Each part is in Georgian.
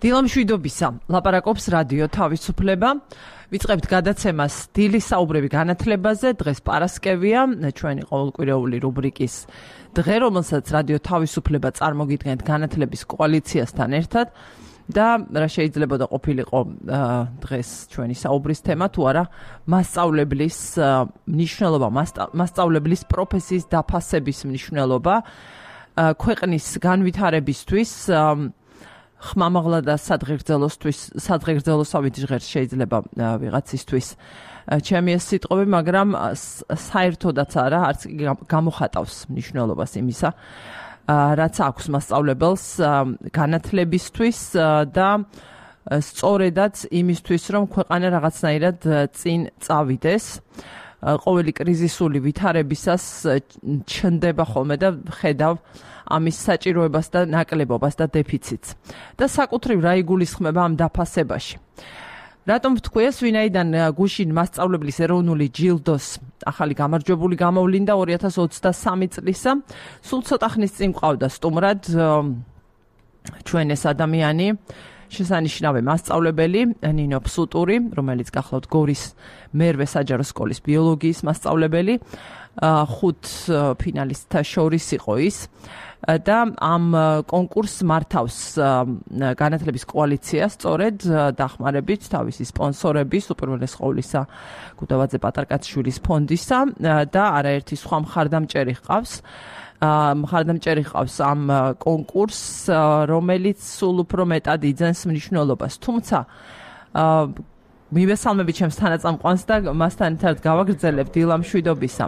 დილამშვიდობისა, ლაპარაკობს რადიო თავისუფლება. ვიწყებთ გადაცემას დილის საუბრები განათლებაზე. დღეს პარასკევია, ჩვენი ყოველკვირეული რუბრიკის დღე, რომელსაც რადიო თავისუფლება წარმოგიდგენთ განათლების კოალიციასთან ერთად. და რა შეიძლება და ყოფილიყო დღეს ჩვენი საუბრის თემა, თუ არა მასწავლებლის მნიშვნელობა, მასწავლებლის პროფესიის დაფასების მნიშვნელობა ქვეყნის განვითარებისთვის, ხმამაღლა და სადღეგრძელოსავით ჟღერს შეიძლება ვიღაცისთვის ჩემი ეს სიტყვები, მაგრამ საერთოდაც არა, არც გამოხატავს მნიშვნელობას იმისა, რაც აქვს მასწავლებელს განათლებისთვის და სწორედაც იმისთვის, რომ ქვეყანა რაღაცნაირად წინ წავიდეს. ყოველი კრიზისული ვითარებისას ჩნდება ხოლმე და ხედავ ამის საჭიროებას და ნაკლებობას და დეფიციტს. და საკუთრივ რა იგულისხმება ამ დაფასებაში. რატომ ვთქვი ეს, ვინაიდან გუშინ მასწავლებლის ეროვნული ჯილდოს ახალი გამარჯვებული გამოვლინდა 2023 წლისა. სულ ცოტა ხნის წინ მყავდა სტუმრად ჩვენ ეს ადამიანი, შესანიშნავი მასწავლებელი ნინო ფსუტური, რომელიც გახლავთ გორის მერვე საჯარო სკოლის ბიოლოგიის მასწავლებელი, 5 ფინალისტთა შორის იყო ის. და ამ კონკურსს მართავს განათლების კოალიცია, სწორედ დახმარებით თავისი სპონსორების, უპირველეს ყოვლისა გუდავაძე პატარკაციშვილის ფონდისა და არაერთი სხვა მხარდამჭერი ჰყავს. მხარდამჭერი ჰყავს ამ კონკურსს, რომელიც სულ უფრო მეტად იძენს მნიშვნელობას. თუმცა მივესალმები ჩემს თანაწამყვანს და მასთან ერთად გავაგრძელებ დილამშვიდობისა.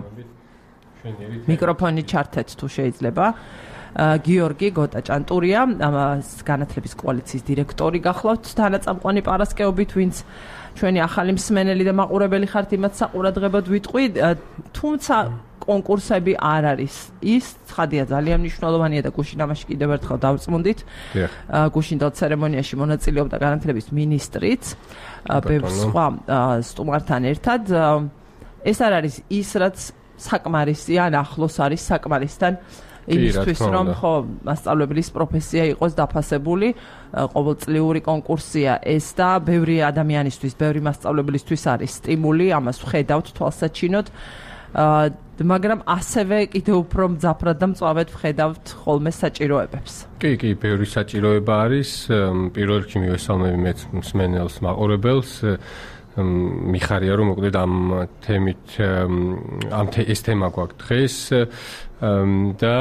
მიკროფონი ჩართეთ თუ შეიძლება. გიორგი გოტაჭანტურია, განათლების კოალიციის დირექტორი გახლავთ თანაწამყვანი პარასკევობით, ვინც ჩვენი ახალი მსმენელი და მაყურებელი ხართ, იმათ საყურადღებოდ ვიტყვი, თუმცა კონკურსები არ არის ის, ცხადია ძალიან მნიშვნელოვანია და გუშინ ამაში კიდევ ერთხელ დავწმუნდით. გუშინდელ ცერემონიაში მონაწილეობდა განათლების მინისტრიც, ბევრ სხვა სტუმართან ერთად. ეს არ არის ის, რაც საკმარისია, ან ახლოს არის საკმარისთან იმისთვის, რომ ხო მასწავლებლის პროფესია იყოს დაფასებული, ყოველწლიური კონკურსია ეს და ბევრი ადამიანისთვის, ბევრი მასწავლებლისთვის არის სტიმული, ამას ვხედავთ თვალსაჩინოდ, მაგრამ ასევე კიდევ უფრო მძაფრად და მწვავედ ვხედავთ ხოლმე საჭიროებებს. კი, ბევრი საჭიროება არის. პირველ რიგში მივესალმები მეც მსმენელს, მაყურებელს. მიხარია რომ მოკლედ ამ თემით ეს თემა გვაქვს დღეს და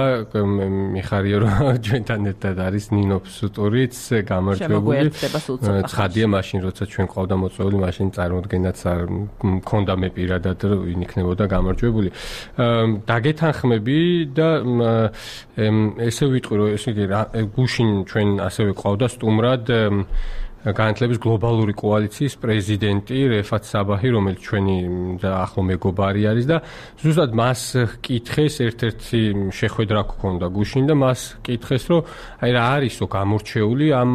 მიხარია რომ ჩვენთან ერთად არის ნინო ფსუტურიც გამარჯვებული. ცხადია მაშინ როცა ჩვენ ყავდა მოწვეული, მაშინ წარმოდგენაც არ მქონდა მე პირადად ვინ იქნებოდა გამარჯვებული. დაგეთანხმები და ესე ვიტყვი რომ ესე გუშინ ჩვენ ასევე ყავდა სტუმრად განათლების გლობალური კოალიციის პრეზიდენტი რეფათ საბაჰი, რომელიც ჩვენი ახლო მეგობარი არის და ზუსტად მას კითხეს, ერთ-ერთი შეხვედრა გქონდა გუშინ და მას კითხეს, რომ აი რა არისო გამორჩეული ამ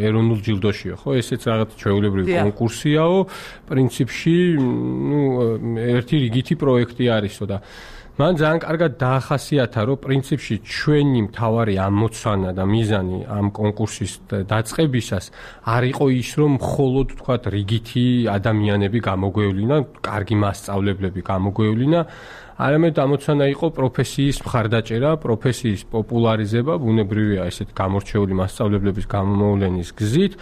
ეროვნულ ჯილდოშიო, ხო? ესეც რაღაც ჩვეულებრივი კონკურსიაო, პრინციპში, ერთი რიგითი პროექტი არისო და მან ძალიან კარგად დაახასიათა, რომ პრინციპში ჩვენი მთავარი ამოცანა და მიზანი ამ კონკურსის დაწყებისას არ იყო ის, რომ მხოლოდ თქვათ რიგითი ადამიანები გამოგვევლინა, კარგი მასწავლებლები გამოგვევლინა, არამედ ამოცანა იყო პროფესიის მხარდაჭერა, პროფესიის პოპულარიზება, ბუნებრივია ესეთ გამორჩეული მასწავლებლების გამოვლენის გზით,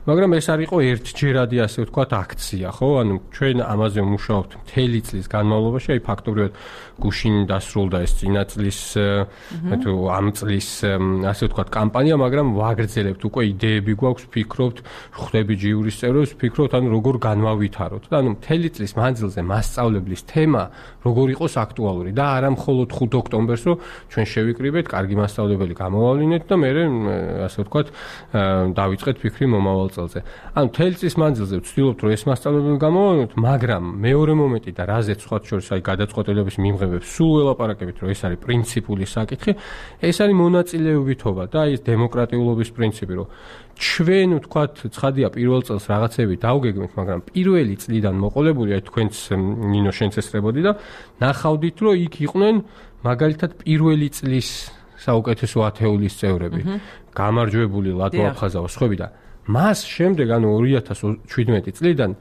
მაგრამ ეს არ იყო ერთჯერადი, ასე ვთქვათ, აქცია, ხო? ანუ ჩვენ ამაზე ვმუშაობთ მთელი წლის განმავლობაში, აი ფაქტობრივად გუშინ დასრულდა ეს წინა წლის თუ ამ წლის ასე ვთქვათ კამპანია, მაგრამ ვაგრძელებთ უკვე იდეები გვაქვს, ვფიქრობთ, ხვდები ჯიურის წევრებს, ვფიქრობთ, ანუ როგორ განვავითაროთ და ანუ მთელი წლის მანძილზე მასწავლებლის თემა როგორ იყოს აქტუალური და არა მხოლოდ 5 ოქტომბერს, რომ ჩვენ შევიკრიბეთ, კარგი მასწავლებელი გამოვავლინეთ და მე ასე ვთქვათ, დავიწყეთ ფიქრი მომავალ წელზე. ანუ მთელი წლის მანძილზე ვცდილობთ, რომ ეს მასწავლებელი გამოვავლინოთ, მაგრამ მეორე მომენტი და რაზეც სხვა შორის აი გადაწყვეტილების მიმღებებს სულ ველაპარაკებით, რომ ეს არის პრინციპული საკითხი, ეს არის მონაწილეობითობა და აი ეს დემოკრატიულობის პრინციპი, რომ ჩვენ ვთქვათ, ცხადია პირველ წელს რაღაცები დავგეგმეთ, მაგრამ პირველი წლიდან მოყოლებული, აი თქვენც ნინო შენც ესწრებოდი და ნახავდით, რომ იქ იყვნენ მაგალითად პირველი წლის საუკეთესო ათეულის წევრები, გამარჯვებული ლატვა აფხაზავა, სხვები და მას შემდეგ, ანუ 2017 წლიდან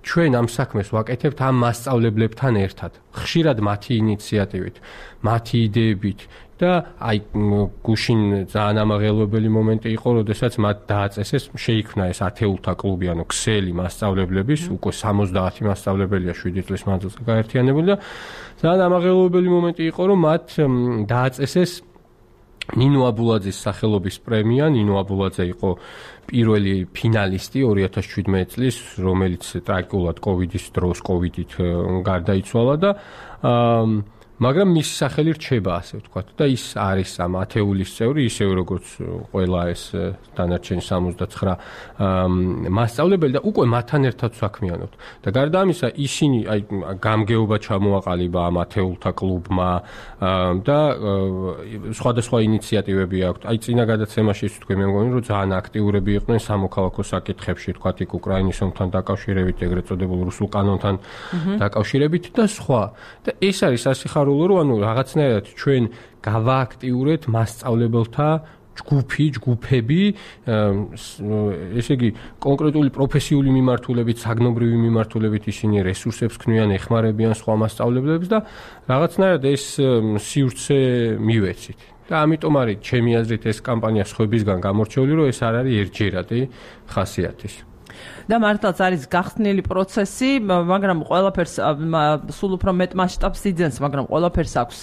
ჩვენ ამ საქმეს ვაკეთებთ ამ მასწავლებლებთან ერთად. ხშირად მათი ინიციატივით, მათი იდეებით და აი გუშინ ძალიან ამაღელვებელი მომენტი იყო, როდესაც მათ დააწესეს, შეიქმნა ეს ათეულთა კლუბი, ანუ ქსელი მასწავლებლების, უკვე 70 მასწავლებელია 7 წლის მანძილზე გაერთიანებული და ძალიან ამაღელვებელი მომენტი იყო, რომ მათ დააწესეს ნინო აბულაძის სახელობის პრემია. ნინო აბულაძე იყო პირველი ფინალისტი 2017 წლის, რომელიც ტრაგიკულად კოვიდის დროს კოვიდით გარდაიცვალა და მაგრამ მისი სახელი რჩება, ასე ვთქვათ, და ის არის ამ ათეულის წევრი, ისევე როგორც ყველა ეს დანარჩენი 79 მასწავლებელი და უკვე მათთან ერთად საქმიანობთ. და გარდა ამისა, ისინი აი გამგეობა ჩამოაყალიბა ამ ათეულთა კლუბმა და სხვადასხვა ინიციატივები აქვთ. აი წინა გადაცემაში თქვი მე მგონი, რომ ძალიან აქტიურები იყვნენ სამოქალაქო საკითხებში, თქვათ იქ უკრაინის ომთან დაკავშირებით, ეგრეთ წოდებულ რუსულ კანონთან დაკავშირებით და სხვა. და ეს არის ასიხარულო, რომ ანუ რაღაცნაირად ჩვენ გავააქტიურეთ მასწავლებელთა ჯგუფები, ესე იგი კონკრეტული პროფესიული მიმართულებით, საგნობრივი მიმართულებით ისინი რესურსებს ქმნიან, ეხმარებიან სხვა მასწავლებლებს და რაღაცნაირად ეს სივრცე მივეცით. და ამიტომ არის ჩემი აზრით ეს კამპანია სხვებისგან გამორჩეული, რომ ეს არ არის ერთჯერადი ხასიათის. და მართლაც არის გახსნილი პროცესი, მაგრამ ყველაფერს სულ უფრო მეტ მასშტაბს იძენს, მაგრამ ყველაფერს აქვს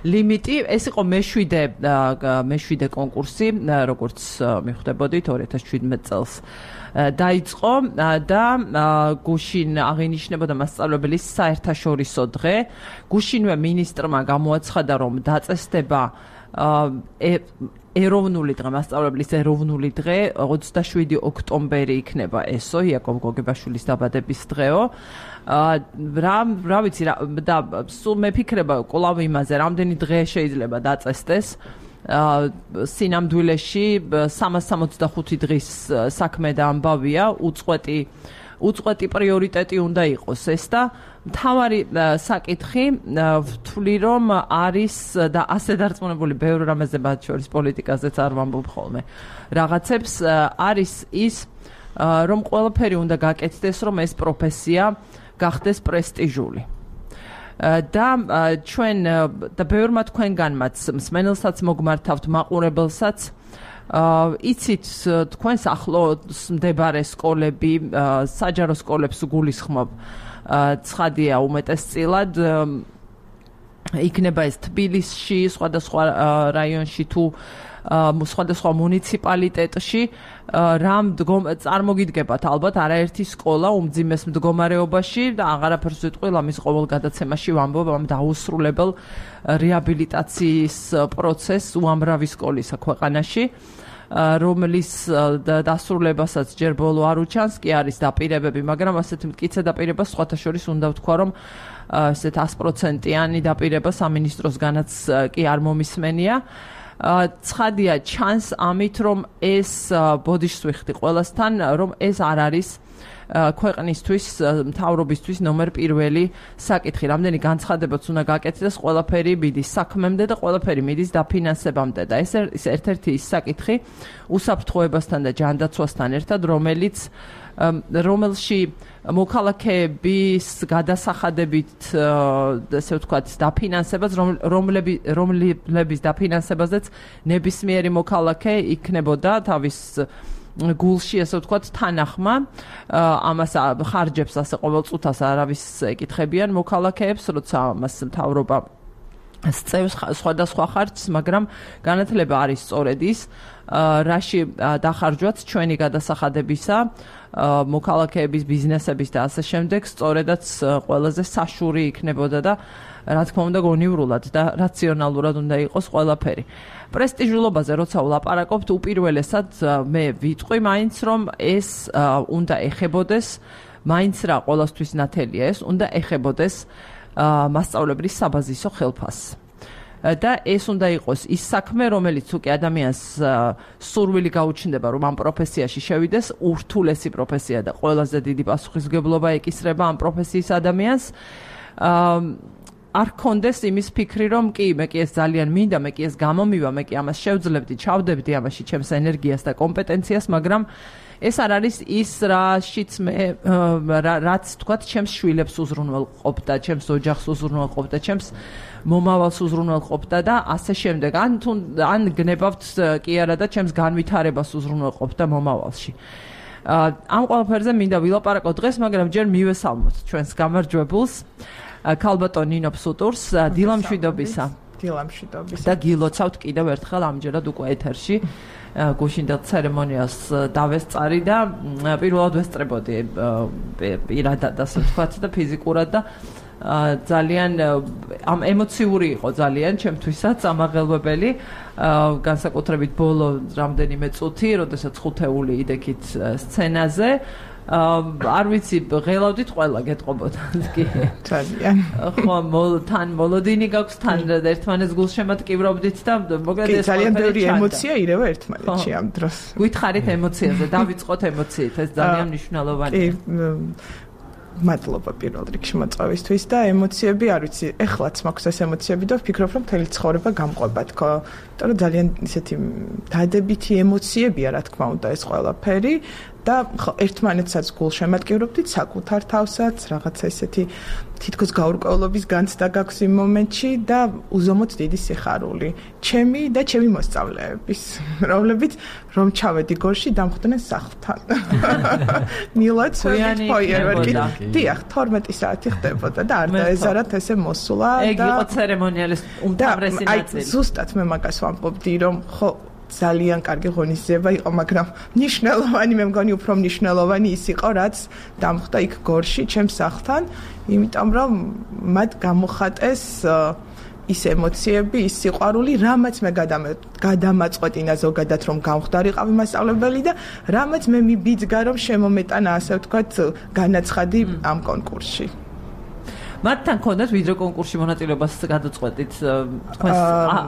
ლიმიტი. ეს იყო მე-7 კონკურსი, როგორც მიხვდებოდით 2017 წელს დაიწყო და გუშინ აღინიშნებოდა მასწავლებლის საერთაშორისო დღე. გუშინვე მინისტრმა გამოაცხადა, რომ დაწესდება ეროვნული დღე, მასწავლებლის ეროვნული დღე 27 ოქტომბერი იქნება ესო, იაკობ გოგებაშვილის დაბადების დღეო. რა ვიცი და სულ მეფიქრება კვლავ იმაზე, რამდენი დღე შეიძლება დაწესდეს სინამდვილეში 365 დღის საქმე და ამბავია, უწყვეტი პრიორიტეტი უნდა იყოს ეს და მთავარი საკითხი ვთვლი, რომ არის და ასე დარწმუნებული ბევრ რამეზე, მათ შორის პოლიტიკაზეც არ ვამბობ ხოლმე რაღაცებს, არის ის, რომ ყველაფერი უნდა გაკეთდეს, რომ ეს პროფესია გახდეს პრესტიჟული. და ჩვენ და ბევრმა თქვენგანმაც, მსმენელსაც მოგმართავთ, მაყურებელსაც იცით თქვენს ახლოს მდებარე სკოლები, საჯარო სკოლებს გულისხმობ, ცხადია უმეტესწილად იქნება ეს თბილისში, სხვადასხვა რაიონში თუ სხვადასხვა მუნიციპალიტეტში, რამ წარმოგიდგებათ ალბათ არაერთი სკოლა უმძიმეს მდგომარეობაში და აღარაფერს ვიტყვი, ამის ყოველ გადაცემაში ვამბობ ამ დაუსრულებელ რეაბილიტაციის პროცესს უამრავი სკოლისა ქვეყანაში, რომლის დასრულებასაც ჯერ ბოლო არ უჩანს, კი არის დაპირებები, მაგრამ ასეთ მტკიცე დაპირებას სხვათა შორის უნდა ვთქვა, რომ ესეთ 100%-იანი დაპირება სამინისტროსგანაც კი არ მომისმენია. ცხადია ჩანს ამით, რომ ეს ბოდიშს ვიხდი ყველასთან, რომ ეს არ არის ქვეყნისთვის, მთავრობისთვის ნომერ პირველი საკითხი. რამდენი განცხადებაც უნდა გაკეთდეს, ყველაფერი მიდის საქმემდე და ყველაფერი მიდის დაფინანსებამდე და ეს ერთ-ერთი ის საკითხი უსაფრთხოებასთან და ჯანდაცვასთან ერთად, რომელში მოქალაქეების გადასახადებით, ესე ვთქვათ, დაფინანსებას, რომლების დაფინანსებაზეც ნებისმიერი მოქალაქე იქნებოდა თავის გულში, ესე ვთქვათ, თანახმა, ამას ხარჯებს ასე ყოველწუთას არავის ეკითხებიან მოქალაქეებს, როცა ამას მთავრობა სწევს სხვადასხვა ხარჯს, მაგრამ განათლება არის სწორედ ის, რაში დახარჯვაც ჩვენი გადასახადებისა, მოქალაქეების, ბიზნესების და ასე შემდეგ, სწორედაც ყველაზე საშური იქნებოდა და რა თქმა უნდა გონივრულად და რაციონალურად უნდა იყოს ყველაფერი. პრესტიჟულობაზე როცა ვლაპარაკობთ, უპირველესად მე ვიტყვი მაინც, რომ ეს უნდა ეხებოდეს, მაინც რა ყველასთვის ნათელია ეს, უნდა ეხებოდეს მასწავლებლის საბაზისო ხელფასს. და ეს უნდა იყოს ის საქმე, რომელიც უკვე ადამიანს სურვილი გაუჩნდება, რომ ამ პროფესიაში შევიდეს, ურთულესი პროფესია და ყველაზე დიდი პასუხისმგებლობა ეკისრება ამ პროფესიის ადამიანს. არ კონდეს იმის ფიქრი, რომ კი, მე კი ეს ძალიან მინდა, მე კი ეს გამომივა, მე კი ამას შევძლებდი, ჩავდებდი ამაში ჩემს ენერგიას და კომპეტენციას, მაგრამ ეს არ არის ის, რაშიც მე რაც თქვათ, ჩემს შვილებს უზრუნველყოფდა, ჩემს ოჯახს უზრუნველყოფდა, ჩემს მომავალს უზრუნველყოფდა და ასე შემდეგ. ან გნებავთ კი არა და ჩემს განვითარებას უზრუნველყოფდა მომავალში. ამ ყველაფერზე მინდა ვილაპარაკო დღეს, მაგრამ ჯერ მივესალმოთ ჩვენს გამარჯვებულს, ქალბატონ ნინო ფსუტურს, დილამშვიდობისა. დილამშვიდობისა. და გილოცავთ კიდევ ერთხელ ამჯერად უკვე ეთერში. გუშინდელ ცერემონიას დავესწარი და პირველად ვესწრებოდი პირადად ასე ვთქვათ და ფიზიკურად და ძალიან ამ ემოციური იყო ძალიან ჩემთვისაც ამაღელვებელი განსაკუთრებით ბოლო რამდენიმე წუთი, როდესაც ხუთეული იდექით სცენაზე არ ვიცი, ღელავდით ყველა გეტყობოდა კი. ძალიან. ხო, თან მოლოდინი გაქვს, თან ერთმანეთს გულშემატკივრობდით და მოკლედ ეს ძალიან ბევრი ემოცია ირევა ერთმანეთში ამ დროს. გითხარით ემოციაზე, დავიწყოთ ემოციით, ეს ძალიან მნიშვნელოვანია. მადლობა პირველ რიგში მოწვევისთვის და ემოციები არ ვიცი, ეხლაც მაქვს ეს ემოციები და ვფიქრობ, რომ მთელი ცხოვრება გამყვება თქო. იმიტომ რომ ძალიან ისეთი დადებითი ემოციებია, რა თქმა უნდა, ეს ყველაფერი და ერთმანეთსაც გულშემატკივრობდით, საკუთარ თავსაც, რაღაცა ისეთი თითქოს გაურკვევლობის განცდა გაქვს იმ მომენტში და უზომოდ დიდი სიხარული. ჩემი და ჩემი მოსწავლეების, რომლებიც რომ ჩავედი გორში დამხვდნენ სახლთან. მილად ფოიერვერკი. დიახ, 12 საათი ხდებოდა და არ დაეზარათ ესე მოსულა და ეგ იყო ცერემონიალის უმთავრესი ნაწილი. ზუსტად მე მაგას ვამბობდი, რომ ხო ძალიან კარგი ღონისძიება იყო, მაგრამ მნიშვნელოვანი, მე მგონი უფრო მნიშვნელოვანი ის იყო, რაც დამხვდა იქ გორში, ჩემს სახლთან, იმიტომ რომ მათ გამოხატეს ის ემოციები, ის სიყვარული, რამაც მე გადამაწყვეტინა ზოგადად, რომ გამხდარიყავი მასწავლებელი და რამაც მე მიბიძგა, რომ შემომეტანა, ასე ვთქვათ, განაცხადი ამ კონკურსში. მათთან ქონდათ ვიდრე კონკურსში მონაწილეობას გადაწყვეტით თქვენს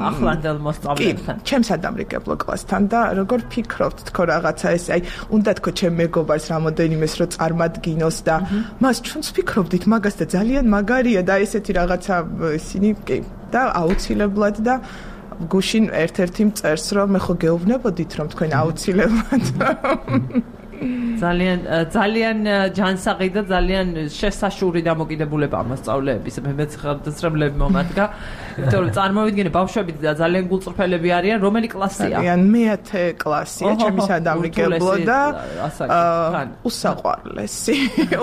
ახლანდელ მოსწავლეებთან. კი, ჩემს ადამრიგებლო კლასთან და როგორ ფიქრობთ თქო რაღაცა ეს, აი, უნდა თქო ჩემ მეგობარს რამოდენიმეს რო წარმადგინოს და მას ჩვენც ფიქრობდით მაგას და ძალიან მაგარია და ესეთი რაღაცა ისინი კი და აუცილებლად და გუშინ ერთ-ერთი მწერს რომ მე ხო გეუბნებოდით რომ თქვენ აუცილებლად ძალიან ჯანსაღი და ძალიან შესაშური დამოკიდებულება მასწავლეების მეც ხელმძღვანელები მომადგა. იმიტომ რომ წარმოვიდგინე ბავშვები და ძალიან გულწრფელები არიან, რომელი კლასია? ძალიან მე-10 კლასია, ჩემი სადამრიგებლო და უსაყვარლესი,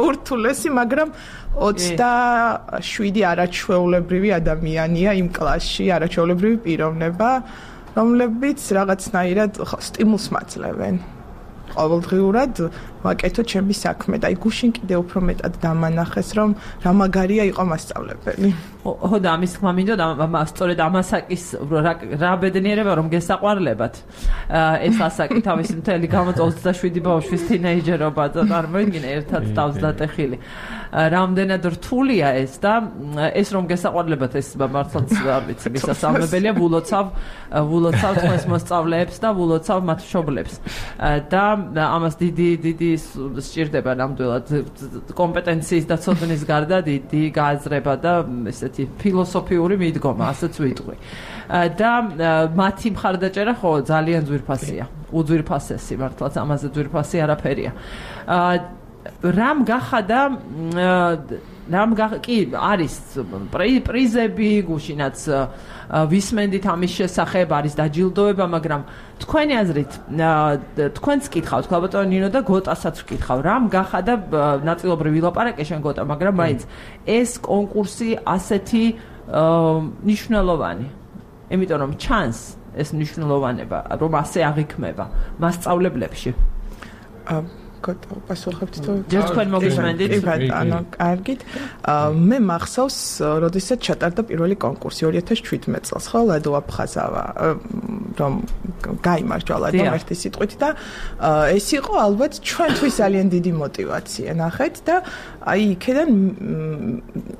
ურთულესი, მაგრამ 27 არაჩვეულებრივი ადამიანია იმ კლასში, არაჩვეულებრივი პიროვნება, რომლებიც რაღაცნაირად სტიმულს მაძლევენ. ყოველდღიურად ვაკეთო ჩემი საქმე და აი გუშინ კიდე უფრო მეტად დამანახეს რომ რა მაგარია იყო მასწავლებელი. ხო და ამის თქმა მინდოდა სწორედ ამასაკის რა ბედნიერება რომ გესაყვარლებათ ეს ასაკი თავის მთელი 27 ბავშვის თინეიჯერობა და წარმოიდგინე ერთად თავს დატეხილი. რამდენად რთულია ეს და ეს რომ გესაყვარლებათ ეს მართლაც არ ვიცი მისასალმებელია ვულოცავ თქვენს მოსწავლეებს და ვულოცავ მათ მშობლებს და ამას დიდი სჭირდება ნამდვილად კომპეტენციის და ცოდნის გარდა დიდი გააზრება და ესეთი ფილოსოფიური მიდგომა, ასეც ვიტყვი. და მათი მხარდაჭერა ხო ძალიან ძვირფასია. უძვირფასესი მართლაც ამაზე ძვირფასი არაფერია. რამ გახადა კი არის პრიზები გუშინაც ვისმენდით ამის შესახებ არის დაჯილდოება, მაგრამ თქვენი აზრით თქვენც კითხავთ ქალბატონ ნინო და გოტასაც ვკითხავ, რამ გახადა ნაწილობრივ ვილაპარაკე შენ გოტა, მაგრამ მაინც ეს კონკურსი ასეთი მნიშვნელოვანი, იმიტომ რომ ჩანს ეს მნიშვნელოვანება, რომ ასე აღიქმება მასწავლებლებში. პასუხობთ თუ ჯერ თქვენ მოგისმენდით? კი ბატონო, კარგით. მე მახსოვს, როდესაც ჩატარდა პირველი კონკურსი 2017 წელს, ხო, ლადო აფხაზავა რომ გაიმარჯვა ლადომ ერთი სიტყვით და ეს იყო ალბათ ჩვენთვის ძალიან დიდი мотиваცია ნახეთ და აი იქიდან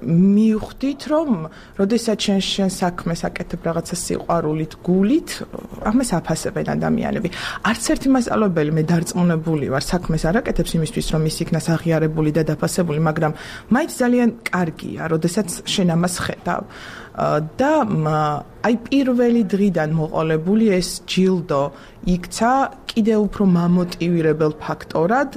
მივხვდით რომ როდესაც შენ საქმეს აკეთებ რაღაცა სიყვარულით გულით ამას აფასებენ ადამიანები არც ერთი მასწავლებელი მე დარწმუნებული ვარ საქმეს არ აკეთებს იმისთვის რომ ის იქნას აღიარებული და დაფასებული მაგრამ მაინც ძალიან კარგია როდესაც შენ ამას ხედავ და აი პირველი დღიდან მოყოლებული ეს ჯილდო იქცა კიდევ უფრო მამოტივირებელ ფაქტორად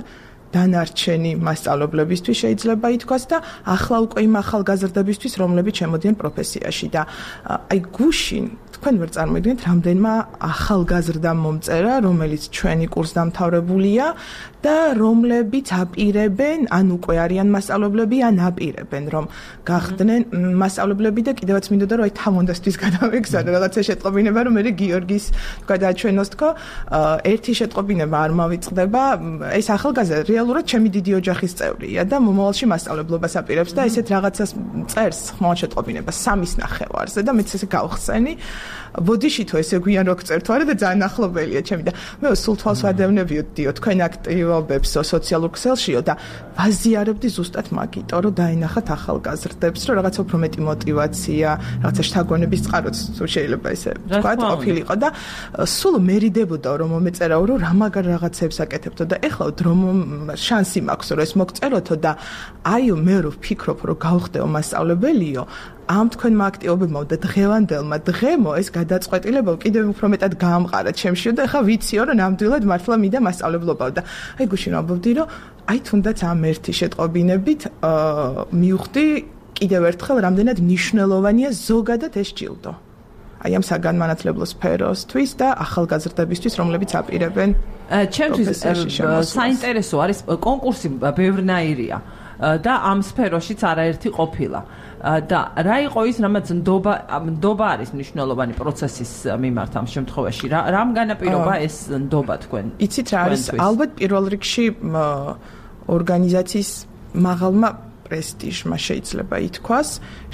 დანარჩენი მასწავლებლებისთვის შეიძლება ითქვას და ახლა უკვე იმ ახალგაზრდებისთვის რომლებიც შემოდიან პროფესიაში და აი გუშინ თქვენ ვერ წარმოიდგინეთ რამდენმა ახალგაზრდა მომწერა რომელიც ჩვენი კურსდამთავრებულია და რომლებიც აპირებენ ან უკვე არიან მასწავლებლები ან აპირებენ რომ გახდნენ მასწავლებლები და კიდევაც მინდოდა რომ აი თამონდასთვის გადავეგზავნო რაღაცა შეტყობინება რომ მე გიორგის გადააჩვენოს თქო ერთი შეტყობინება არ მავიწყდება ეს ახალგაზრდა რეალურად ჩემი დიდი ოჯახის წევრია და მომავალში მასწავლებლობას აპირებს და ესეთ რაღაცას წერს ხმალ შეტყობინებას 3 ნახევარზე და მეც ესე გავხსენი ბოდიში თუ ესე გვიან რო გწერთ არა და ძალიან ახლობელია ჩემი და მე სულ თვალს ვადევნებიოდიო თქვენ აქტივობებს სოციალურ ქსელშიო და ვაზიარებდი ზუსტად მაგიტო რომ დაინახათ ახალგაზრდებს რომ რაღაცა უფრო მეტი мотиваცია რაღაცა შთაგონების წყაროც თუ შეიძლება ესე თქვა ყოფილიყო და სულ მერიდებოდა რომ მომეწერაო რომ რა მაგარ რაღაცებს აკეთებთო და ეხლა რომ შანსი მაქვს რომ ეს მოგწეროთო და აი მე რო ვფიქრობ რომ გავხდეო მასწავლებელიო ამ თქვენმა აქტივობებმა და დღევანდელმა დღემო ეს გადაწყვეტილება კიდევ უფრო მეტად გაამყარა ჩემშიო და ახლა ვიციო რომ ნამდვილად მართლა მინდა მასწავლებლობაო და აი გუშინ ვამბობდი რომ აი თუნდაც ამ ერთი შეტყობინებით მივხვდი კიდევ ერთხელ რამდენად მნიშვნელოვანია ზოგადად ეს ჯილდო აი ამ საგანმანათლებლო სფეროსთვის და ახალგაზრდებისთვის რომლებიც აპირებენ ჩემთვის საინტერესო არის კონკურსი ბევრნაირია და ამ სფეროშიც არაერთი ყოფილა და რა იყო ის რამაც ნდობა არის მნიშვნელოვანი პროცესის მიმართ ამ შემთხვევაში რამ განაპირობა ეს ნდობა თქვენ იცით რა არის ალბათ პირველ რიგში ორგანიზაციის მაღალმა პრესტიჟმა შეიძლება ითქვას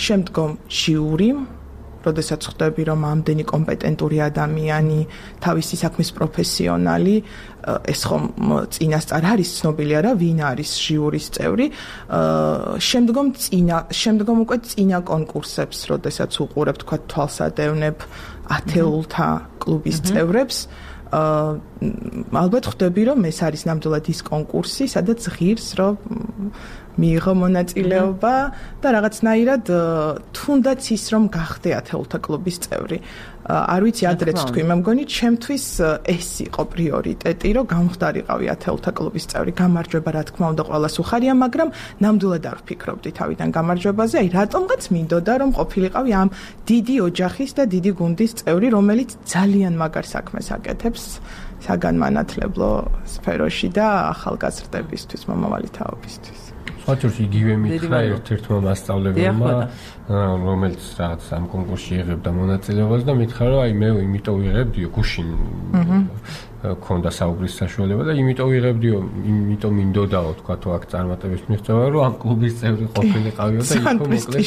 შემდგომ ჟიური როდესაც ხვდები რომ ამდენი კომპეტენტური ადამიანი თავისი საქმის პროფესიონალი ეს ხომ წინასწარ არის ცნობილი არა ვინ არის ჟიურის წევრი შემდგომ უკვე წინა კონკურსებს როდესაც უყურებ თქვა თვალსადევნებ ათეულთა კლუბის წევრებს ალბათ ხვდები რომ ეს არის ნამდვილად ის კონკურსი სადაც ღირს რომ მიიღო მონაწილეობა და რაღაცნაირად თუნდაც ის რომ გახდე ათეულთა კლუბის წევრი არ ვიცი ადრეც თქვი მე მგონი ჩემთვის ეს იყო პრიორიტეტი რომ გამხდარიყავი ათეულთა კლუბის წევრი გამარჯვება რა თქმა უნდა ყველას უხარია მაგრამ ნამდვილად არ ვფიქრობდი თავიდან გამარჯვებაზე აი რატომღაც მინდოდა რომ ყოფილიყავი ამ დიდი ოჯახის და დიდი გუნდის წევრი რომელიც ძალიან მაგარ საქმეს აკეთებს საგანმანათლებლო სფეროში და ახალგაზრდებისთვის მომავალი თაობისთვის ხოჭურში იგივე მითხრა ერთ-ერთმა მასწავლებელმა რომელიც რაღაც ამ კონკურსში იღებდა მონაწილეობას და მითხრა რომ აი მე იმიტომ ვიღებდიო გუშინ ქონდა საუბრის საშუალება და იმიტომ ვიღებდიო იმიტომ მინდოდაო თქვა თუ აქ წარმატების მიღწევა რომ ამ კლუბის წევრი ყოფილიყავიო და იქო მოკლედ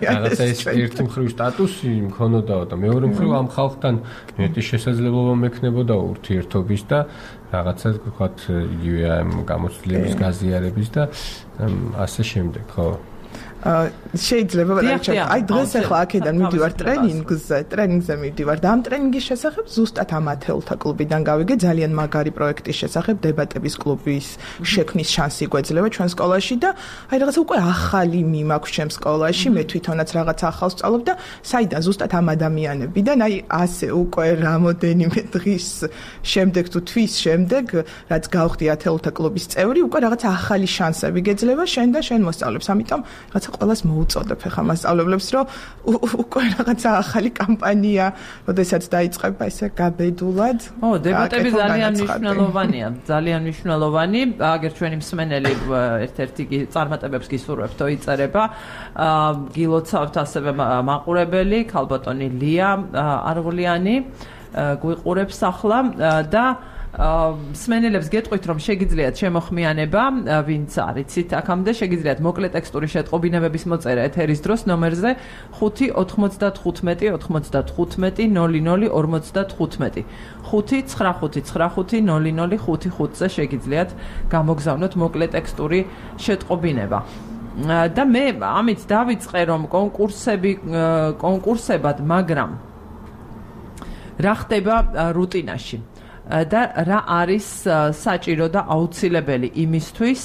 რაღაცა ეს ერთი მხრივ სტატუსი მქონოდაო და მეორე მხრივ ამ ხალხთან მეტი შესაძლებლობა მექნებოდა ურთიერთობის და რაღაცა ვთქვათ იგივე ამ გამოცდილების გაზიარების და ასე შემდეგ ხო შეიძლება აი დღეს ახლა აქედან მივდივარ ტრენინგზე მივდივარ და ამ ტრენინგის შესახებ ზუსტად ამ ათეულთა კლუბიდან გავიგე ძალიან მაგარი პროექტის შესახებ დებატების კლუბის შექმნის შანსი გვეძლევა ჩვენ სკოლაში და აი რაღაცა უკვე ახალი მიმაქვს ჩემ სკოლაში მე თვითონაც რაღაცა ახალს ვსწავლობ და საიდან ზუსტად ამ ადამიანებიდან აი ასე უკვე რამოდენიმე დღის შემდეგ თუ თვის შემდეგ რაც გავხდი ათეულთა კლუბის წევრი უკვე რაღაცა ახალი შანსები გეძლევა შენ და შენ მოსწავლებს ამიტომ რაღაცა ყველას მოუწოდებ ახლა მასწავლებლებს რომ უკვე რაღაცა ახალი კამპანია როდესაც დაიწყება ესე გაბედულად დებატები ძალიან მნიშვნელოვანი აგერ ჩვენი მსმენელი ერთ-ერთი წარმატებებს გისურვებთ იწერება გილოცავთ ასევე მაყურებელი ქალბატონი ლია არღლიანი გვიყურებს ახლა და სმენელებს გეტყვით, რომ შეგიძლიათ შემოხმიანება, ვინც არიცით აქამდე, შეგიძლიათ მოკლე ტექსტური შეტყობინებების მოწერა ეთერის დროს ნომერზე 595 95 00 55 595-95-00-55-ზე შეგიძლიათ გამოგზავნოთ მოკლე ტექსტური შეტყობინება. და მე ამით დავიწყე, რომ კონკურსებად, მაგრამ რა ხდება რუტინაში და რა არის საჭირო და აუცილებელი იმისთვის,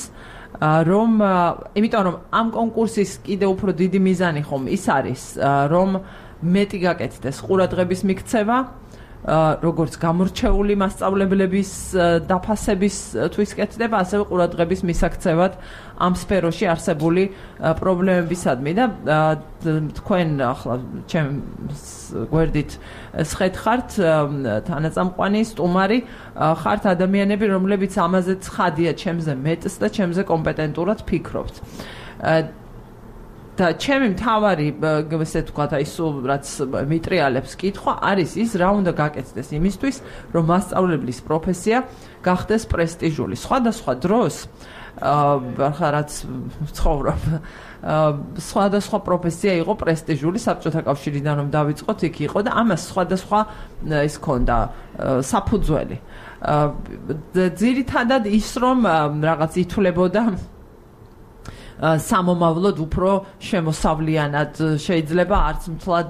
იმიტომ რომ ამ კონკურსის კიდე უფრო დიდი მიზანი ხომ ის არის, რომ მეტი გაკეთდეს ყურადღების მიქცევა, როგორც გამორჩეული მასწავლებლების დაფასებისთვის კეთდება, ასევე ყურადღების მისაქცევად ამ სფეროში არსებული პრობლემებისადმი და თქვენ ახლა ჩემს გვერდით სხედხართ თანაწამყვანი, სტუმარი, ხართ ადამიანები, რომლებიც ამაზე ცხადია ჩემზე მეტს და ჩემზე კომპეტენტურად ფიქრობთ. და ჩემი მთავარი, ესე ვთქვათ, აი სულ რაც მიტრიალებს კითხვა არის ის, რა უნდა გაკეთდეს იმისთვის, რომ მასწავლებლის პროფესია გახდეს პრესტიჟული. სხვადასხვა დროს რაც ცხოვრობ, სხვადასხვა პროფესია იყო პრესტიჟული, საბჭოთა კავშირიდან რომ დავიწყოთ, იქ იყო და ამას სხვადასხვა ის ქონდა საფუძველი. ძირითადად ის, რომ რაღაც ითვლებოდა სამომავლოდ უფრო შემოსავლიანად, შეიძლება არც მთლად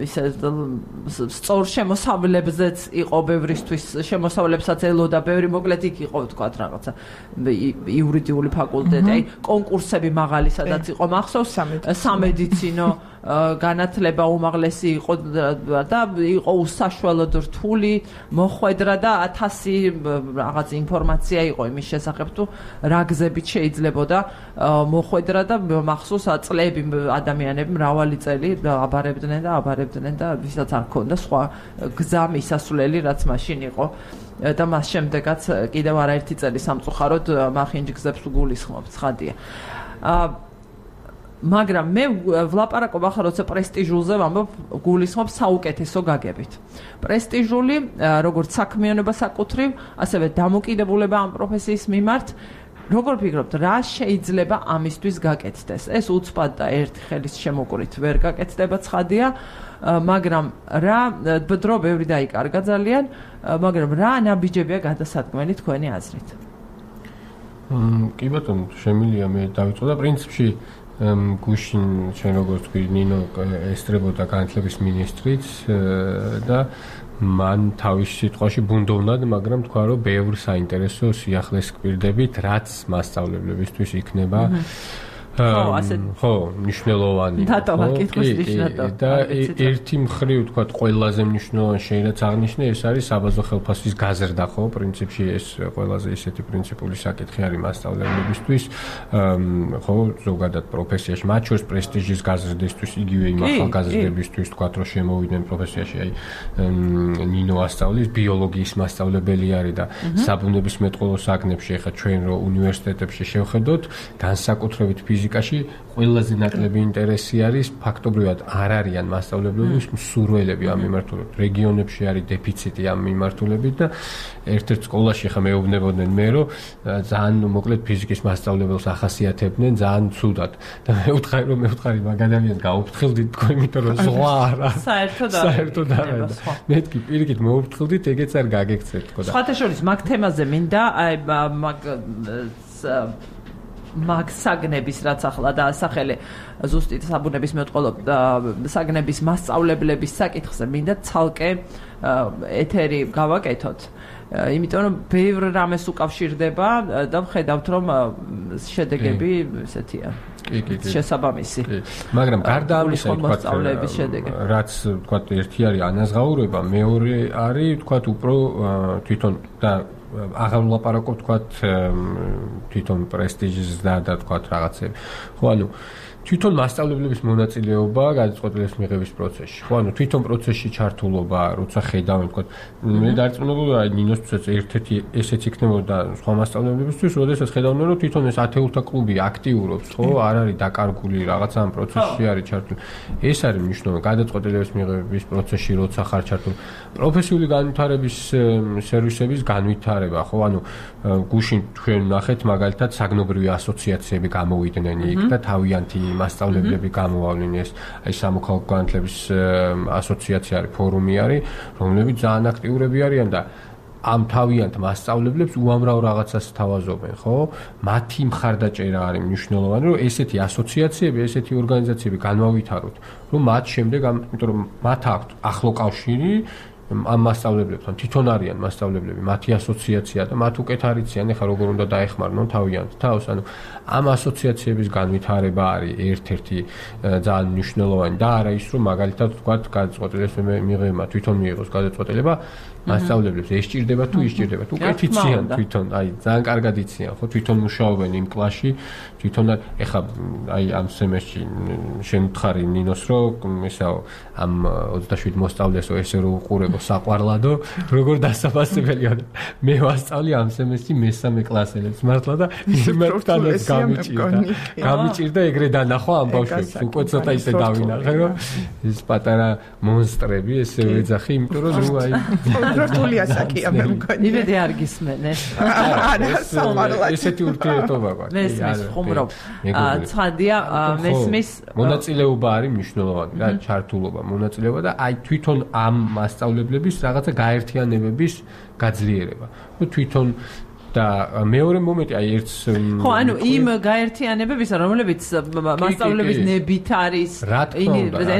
ისე სწორ შემოსავლებზეც იყო ბევრისთვის, შემოსავლებსაც ელოდა ბევრი, მოკლედ იქ იყო ვთქვათ რაღაცა იურიდიული ფაკულტეტი, აი კონკურსები მაღალი სადაც იყო მახსოვს, სამედიცინო განათლება უმაღლესი იყო და იყო უსაშველოდ რთული, მოხვედრა და 1000 რაღაც ინფორმაცია იყო იმის შესახებ, თუ რა გზებით შეიძლებოდა მოხვედრა და მახსოვს წლები ადამიანები მრავალი წელი აბარებდნენ და ვისაც არ ქონდა სხვა გზა მისასვლელი, რაც მაშინ იყო და მას შემდეგაც კიდევ არაერთი წელი სამწუხაროდ მახინჯ გზებს უგულისხმობ, ცხადია. მაგრამ მე ვლაპარაკობ ახლა როცა პრესტიჟულზე ვამბობ, გულისხმობ საუკეთესო გაგებით. პრესტიჟული, როგორც საქმიანობა საკუთრივ, ასევე დამოკიდებულება ამ პროფესიის მიმართ. როგორ ფიქრობთ, რა შეიძლება ამისთვის გაკეთდეს? ეს უცბად და ერთი ხელის შემოკვრით ვერ გაკეთდება, ცხადია, მაგრამ რა დრო ბევრი დაიკარგა ძალიან, მაგრამ რა ნაბიჯებია გადასადგმელი თქვენი აზრით? კი ბატონო, შემიძლია მე დავიწყო და პრინციპში გუშინ ჩვენ როგორც თქვი, ნინო ესწრებოდა განათლების მინისტრიც და მან თავის სიტყვაში ბუნდოვნად, მაგრამ თქვა, რომ ბევრ საინტერესო სიახლეს გვირდებით, რაც მასწავლებლებისთვის იქნება ხო, მნიშვნელოვანი. და ერთი მხრივ, თქვა, ყველაზე მნიშვნელოვანი შეიძლება აღნიშნე, ეს არის საბაზო ხელფასის გაზრდა, ხო, პრინციპში ეს ყველაზე ისეთი პრინციპული საკითხი არის მასწავლებლებისთვის, ხო, ზოგადად პროფესიაში, მათ შორის პრესტიჟის გაზრდისთვის, იგივე იმ ახალგაზრდებისთვის, თქვა, რომ შემოვიდნენ პროფესიაში, აი ნინო ასწავლის ბიოლოგიის მასწავლებელი არის და საბუნებისმეტყველო საგნებში, ახლა ჩვენ რო უნივერსიტეტებში შევხედოთ, განსაკუთრებით ფიზიკაში ყველაზე ნაკლები ინტერესი არის, ფაქტობრივად არ არიან მასწავლებლების მსურველები ამ მიმართულებით. რეგიონებში არის დეფიციტი ამ მიმართულებით და ერთ-ერთ სკოლაში ხა მეუბნებოდნენ მე, რომ ძალიან მოკლედ ფიზიკის მასწავლებელს ახასიათებდნენ ძალიან ცუდად. და მე ვუთხარი მაგ ადამიანს გაუფრთხილდით თქო, იმიტომ რომ ზღვა არა. საერთოდ არა. მეთქი პირიქით მოუფრთხილდით, ეგეც არ გაგექცეთ თქო და. სხვათა შორის მაგ თემაზე მინდა აი მაგ საგნების რაც ახლა დაასახელე ზუსტით საბუნებისმეტყველო საგნების მასწავლებლების საკითხზე მინდა ცალკე ეთერი გავაკეთოთ. იმიტომ რომ ბევრ რამეს უკავშირდება და ვხედავთ რომ შედეგები ესეთია. შესაბამისი. მაგრამ გარდა ამისა, რაც თქვა ერთი არის ანაზღაურება, მეორე არის თქვა უფრო თვითონ და აღარ ვლაპარაკობ თქვა თვითონ პრესტიჟის და თქვა რაღაცები. ხო, ანუ თვითონ მასწავლებლების მონაწილეობა გადაწყვეტილების მიღების პროცესში. ხო, ანუ თვითონ პროცესში ჩართულობა, როცა ხედავენ, თქო, მე დარწმუნებული ვარ, ნინოსთვისაც ერთ-ერთი ესეც იქნებოდა სხვა მასწავლებლებისთვის, როდესაც ხედავდნენ, რომ თვითონ ეს ათეულთა კლუბი აქტიურობს, ხო, არ არის დაკარგული რაღაცა ამ პროცესში არის ჩართული. ეს არის მნიშვნელოვანი გადაწყვეტილების მიღების პროცესში, როცა ხარ ჩართული. პროფესიული განვითარების სერვისების განვითარება, ხო, ანუ გუშინ თქვენ ნახეთ მაგალითად საგნობრივი ასოციაციები გამოვიდნენ იქ და თავიანთი მასწავლებლები გამოვავლენ ეს აი სამოქალაქო განათლების ასოციაცია არის, ფორუმი არის, რომლებიც ძალიან აქტიურები არიან და ამ თავიანთ მასწავლებლებს უამრავ რაღაცას თავაზობენ, ხო? მათი მხარდაჭერა არის მნიშვნელოვანი, რომ ესეთი ასოციაციები, ესეთი ორგანიზაციები განმავითაროთ, რომ მათ შემდეგ, იმიტომ რომ მათ აქვთ ახლო კავშირი ამ მასწავლებლებთან, თვითონ არიან მასწავლებლები, მათი ასოციაცია და მათ უკეთ არიციან, ეხლა როგორ უნდა დაეხმარნონ თავიანთ თავს, ანუ ამ ასოციაციების განვითარება არის ერთ-ერთი ძალიან მნიშვნელოვანი და არა ის, რომ მაგალითად ვთქვათ, გადაწყვეტილების მიღება თვითონ მიიღოს გადაწყვეტილება მასწავლებლებს ეს სჭირდება თუ ის სჭირდება თუ უკეთ იციან თვითონ, აი ძალიან კარგად იციან, ხო, თვითონ მუშაობენ იმ კლასში, თვითონ ეხლა აი ამ სემესტრში შენ ვთხარი ნინოს, რომ ესაო ამ 27 მოსწავლესო ესე რო უყურებო საყვარლადო, როგორ დასაფასებელია. მე ვასწავლი ამ სემესტრში მესამე კლასელებს მართლა და იმათანაც გამიჭირდა ეგრე დანახვა ამ ბავშვებს. უკვე ცოტა ისე დავინახე, რომ ეს პატარა მონსტრები ესე ვეძახი, იმიტომ რომ ნუ აი რთული ასაკია მე მგონი. იმედი არ გისმენეს. არა, საყვარლად. ესეთი ურთიერთობა გვაქვს. მესმის ხუმრობ. ცხადია, მესმის მონაწილეობა არის მნიშვნელოვანი რა, ჩართულობა, მონაწილეობა და აი თვითონ ამ მასწავლებლების რაღაცა გაერთიანებების გაძლიერება. ნუ თვითონ და მეორე მომენტი აი ერთს ხო, ანუ იმ გაერთიანებების, რომლებიც მასწავლებლების ნებით არის,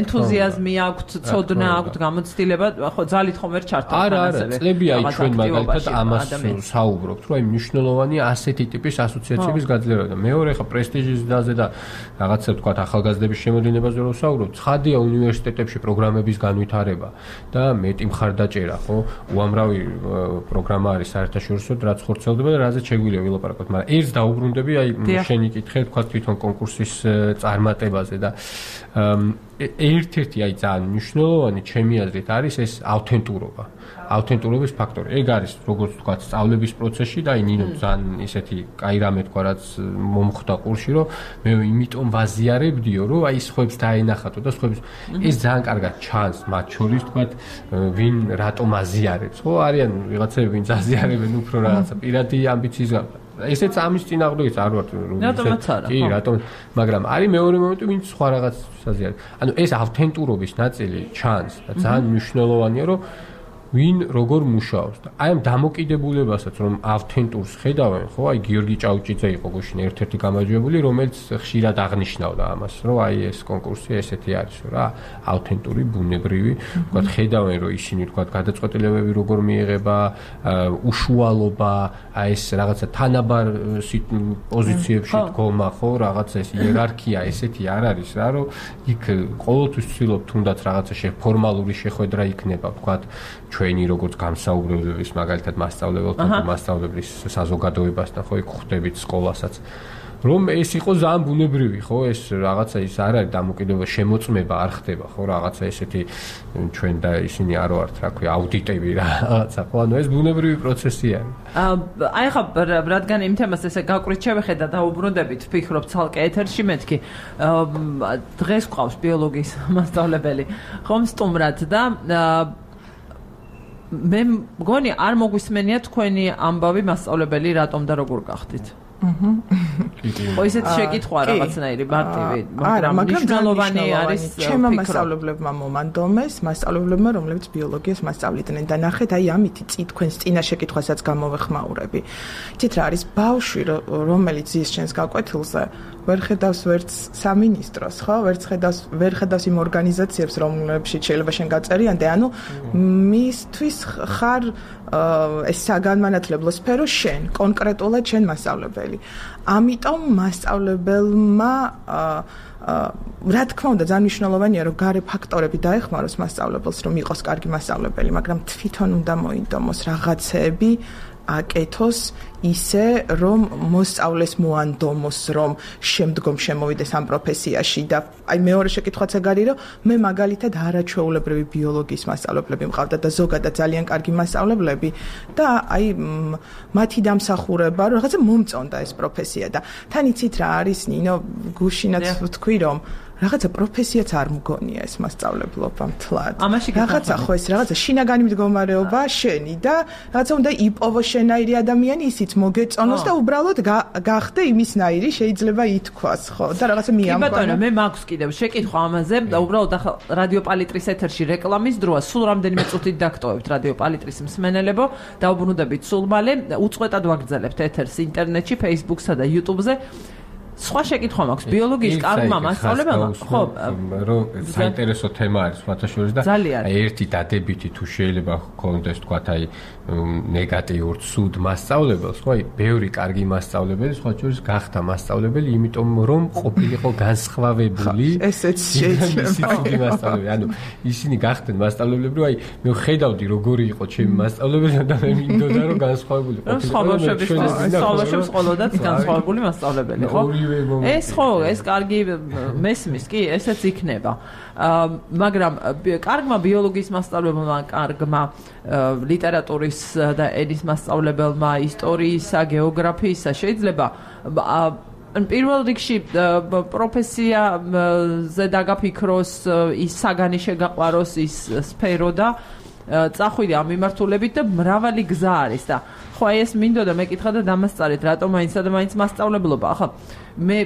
ენთუზიაზმი აქვთ, ცოდნა აქვთ, გამოცდილება, ხო, ძალით ხომ ვერ ჩართავს არა, წლები აი ჩვენ მაგალითად ამას საუბრობთ, რომ აი მნიშვნელოვანია ასეთი ტიპის ასოციაციების გაძლიერება და მეორე ხა პრესტიჟის დაზე და რაღაცა თქვა ახალგაზრდების შემოდინებაზე რომ საუბრობთ, ცხადია უნივერსიტეტებში პროგრამების განვითარება და მეტი მხარდაჭერა, ხო, უამრავი პროგრამა არის საერთაშორისო, რაც ხორცელდება და რაზეც შეგვიძლია ვილაპარაკოთ, მაგრამ ერთს დაუბრუნდები, აი შენი კითხე თქვა თვითონ კონკურსის წარმატებაზე და ერთ-ერთი აი ძალიან მნიშვნელოვანი ჩემი აზრით არის ეს ავთენტურობა. ავთენტურობის ფაქტორი. ეგ არის როგორც თქვა სწავლების პროცესში და აი ნინო ძალიან ისეთი კაი რამე თქვა რაც მომხვდა ყურში, რომ მე იმიტომ ვაზიარებდიო, რომ აი სხვებს დაენახატო და სხვებს ეს ძალიან კარგად ჩანს მათ შორის თქვა ვინ რატომ აზიარებს, ხო? არიან ვიღაცები ვინც აზიარებენ უფრო რაღაცა პირადი ამბიციის გამო. ესეც ამის წინააღმდეგიც არ ვარ კი, რატომ, მაგრამ არის მეორე მომენტი, ვინც სხვა რაღაც აზიარებს. ანუ ეს ავთენტურობის ნაწილი ჩანს და ძალიან მნიშვნელოვანია, რომ ვინ როგორ მუშაობს და აი ამ დამოკიდებულებასაც რომ ავთენტურს ხედავენ, ხო, აი გიორგი ჭაუჭიძე იყო გუშინ ერთ-ერთი გამარჯვებული, რომელიც ხშირად აღნიშნავდა ამას, რომ აი ეს კონკურსი ესეთი არის რა, ავთენტური, ბუნებრივი, თქვა ხედავენ, რომ ისინი თქვა გადაწყვეტილებები როგორ მიიღება, უშუალობა, აი ეს რაღაცა თანაბარ პოზიციებში დგომა, ხო, რაღაცა ეს იერარქია ესეთი არ არის რა, რომ იქ ყოველთვის ვცდილობ თუნდაც რაღაცა ფორმალური შეხვედრა იქნება, თქვა ჩვენი როგორც გამსაუბრებლების მაგალითად მასწავლებელთან და მასწავლებლის საზოგადოებასთან, ხო, იქ ხვდებით სკოლასაც. რომ ეს იყო ძალიან ბუნებრივი, ხო, ეს რაღაცა ის არ არის დამოკიდებულება, შემოწმება არ ხდება, ხო, რაღაცა ესეთი ჩვენ და ისინი არ ვართ, რა ქვია, აუდიტები რაღაცა, ხო, ანუ ეს ბუნებრივი პროცესი არის. აი ხა რადგან იმ თემას ესე გაკვირით შევეხედა და უბრუნდებით, ვფიქრობ ცალკე ეთერში მეთქი. დღეს გვყავს ბიოლოგიის მასწავლებელი, ხომ სტუმრად და მე მგონი არ მოგვისმენია თქვენი ამბავი მასწავლებელი რატომ და როგორ გახდით. ხო, ისეთი შეკითხვა რაღაცნაირი მარტივი, მაგრამ მნიშვნელოვანი არის ჩემმა მასწავლებლებმა მომანდომეს, მასწავლებლებმა, რომლებიც ბიოლოგიას მასწავლიდნენ და ნახეთ, აი ამითი თქვენს წინა შეკითხვასაც გამოვეხმაურები. იცით რა არის ბავშვი, რომელიც ზის ჩვენს გაკვეთილზე ვერ ხედავს ვერც სამინისტროს, ხო? ვერ ხედავს იმ ორგანიზაციებს, რომლებშიც შეიძლება შენ გაწერიანდე, ანუ მისთვის ხარ ეს საგანმანათლებლო სფერო შენ, კონკრეტულად შენ მასწავლებელი. ამიტომ მასწავლებელმა რა თქმა უნდა ძალიან მნიშვნელოვანია რომ გარე ფაქტორები დაეხმაროს მასწავლებელს რომ იყოს კარგი მასწავლებელი, მაგრამ თვითონ უნდა მოინდომოს რაღაცეები აკეთოს ისე, რომ მოსწავლეს მოანდომოს, რომ შემდგომ შემოვიდეს ამ პროფესიაში და აი მეორე შეკითხვაც ეგ არის, რომ მე მაგალითად არაჩვეულებრივი ბიოლოგიის მასწავლებლები მყავდა და ზოგადად ძალიან კარგი მასწავლებლები და აი მათი დამსახურება, რომ რაღაცა მომწონდა ეს პროფესია და თან იცით რა არის, ნინო, გუშინაც ვთქვი, რომ რაღაცა პროფესიაც არ მგონია ეს მასწავლებლობა მთლად. რაღაცა ხო ეს რაღაცა შინაგანი მდგომარეობა შენი და რაღაცა უნდა იპოვო შენაირი ადამიანი, ისიც მოგეწონოს და უბრალოდ გახდე იმისნაირი, შეიძლება ითქვას, ხო? და რაღაცა მიამბო. კი ბატონო, მე მაქვს კიდევ შეკითხვა ამაზე და უბრალოდ ახლა რადიო პალიტრის ეთერში რეკლამის დროა, სულ რამდენიმე წუთით დაგტოვებთ რადიო პალიტრის მსმენელებო, დაუბრუნდებით სულ მალე, უწყვეტად ვაგრძელებთ ეთერს ინტერნეტში, Facebook-სა და YouTube-ზე. სხვა შეკითხვა მაქვს ბიოლოგიის კარგმა მასწავლებელმა ხო რომ საინტერესო თემა არის ფათაშორის და აი ერთი დადებითი თუ შეიძლება გქონდეს თქვა აი ნეგატიურ ცუდ მასწავლებელს ხო აი ბევრი კარგი მასწავლებელი სხვა შორის გახდა მასწავლებელი იმიტომ რომ ყოფილიყო განსხვავებული ესეც შეიძლება ანუ ისინი გახდნენ მასწავლებლები რომ აი მე ხედავდი როგორი იყო ჩემი მასწავლებელი და მე მინდოდა რომ განსხვავებული ყოფილიყო ყოველდღე განსხვავებული მასწავლებელი ხო ეს ხო, ეს კარგი მესმის, კი, ესეც იქნება. მაგრამ კარგმა ბიოლოგიის მასწავლებელმა, კარგმა ლიტერატურის და ენის მასწავლებელმა, ისტორიისა, გეოგრაფიისა შეიძლება პირველ რიგში პროფესიაზე დაგაფიქროს, ის საგანი შეგაყვაროს, ის სფერო და წახვიდე ამ მიმართულებით და მრავალი გზა არის და ხო აი ეს მინდოდა მეკითხა და დამასწარეთ რატომ მაინცსა და მაინც მასწავლებლობა ახლა მე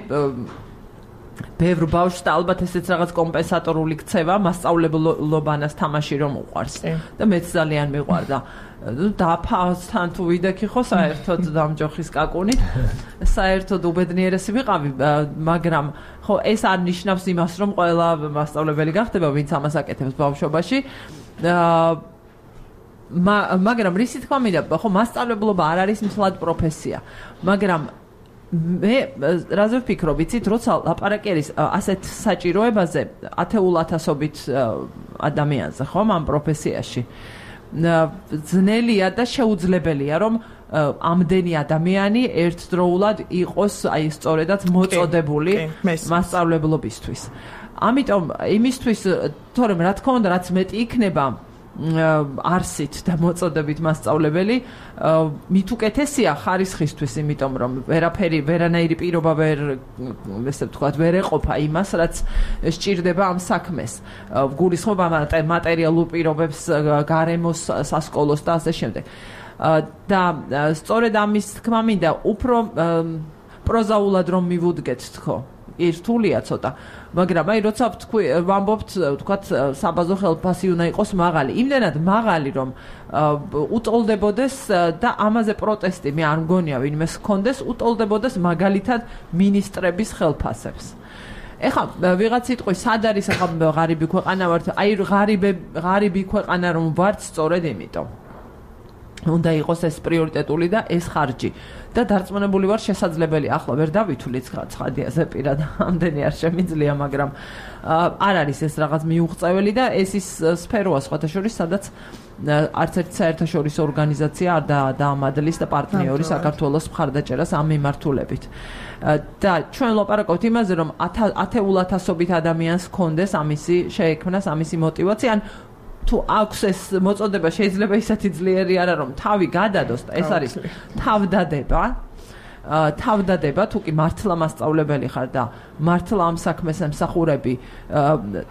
ბევრ ბავშვს და ალბათ ესეც რაღაც კომპენსატორული ქცევა მასწავლებლობანას თამაში რომ უყვარს და მეც ძალიან მიყვარდა დაფასთან თუ ვიდექი ხო საერთოდ დამჯოხის კაკუნით საერთოდ უბედნიერესი ვიყავი მაგრამ ხო ეს არ ნიშნავს იმას რომ ყველა მასწავლებელი გახდება ვინც ამას აკეთებს ბავშვობაში მაგრამ რისი თქვა მინდა ხო მასწავლებლობა არ არის მთლად პროფესია მაგრამ მე რაზე ვფიქრობ იცით როცა ლაპარაკი არის ასეთ საჭიროებაზე ათეულათასობით ადამიანზე ხო ამ პროფესიაში ძნელია და შეუძლებელია რომ ამდენი ადამიანი ერთდროულად იყოს აი სწორედაც მოწოდებული მასწავლებლობისთვის ამიტომ იმისთვის თორემ რა თქმა უნდა რაც მეტი იქნება არსით და მოწოდებით მასწავლებელი მით უკეთესია ხარისხისთვის იმიტომ რომ ვერანაირი პირობა ესე ვთქვათ ვერ ეყოფა იმას რაც სჭირდება ამ საქმეს გულისხმობ ამ მატერიალურ პირობებს გარემოს სასკოლოს და ასე შემდეგ და სწორედ ამის თქმა მინდა უფრო პროზაულად რომ მივუდგეთ თქო ერთულია ცოტა მაგრამ აი როცა ვამბობთ ვთქვათ საბაზო ხელფასი უნდა იყოს მაღალი იმდენად მაღალი რომ უტოლდებოდეს და ამაზე პროტესტი მე არ მგონია ვინმეს ჰქონდეს უტოლდებოდეს მაგალითად მინისტრების ხელფასებს ეხლა ვიღაც იტყვის სად არის ახლა ღარიბი ქვეყანა ვართ აი ღარიბი ქვეყანა რომ ვართ სწორედ იმიტომ უნდა იყოს ეს პრიორიტეტული და ეს ხარჯი და დარწმუნებული ვარ შესაძლებელი ახლა ვერ დავითვლით ცხადიაზე პირად ამდენი არ შემიძლია მაგრამ არ არის ეს რაღაც მიუღწეველი და ეს ის სფეროა სხვათა შორის სადაც არც ერთი საერთაშორისო ორგანიზაცია არ დაამადლის და პარტნიორი საქართველოს მხარდაჭერას ამ მიმართულებით და ჩვენ ლაპარაკობთ იმაზე რომ ათეულათასობით ადამიანს ჰქონდეს ამისი შეექმნას ამისი მოტივაცია ან თუ აქვს ეს მოწოდება შეიძლება ისეთი ძლიერი არა რომ თავი გადადოს და ეს არის თავდადება თუ კი მართლა მასწავლებელი ხარ და მართლა ამ საქმეს ემსახურები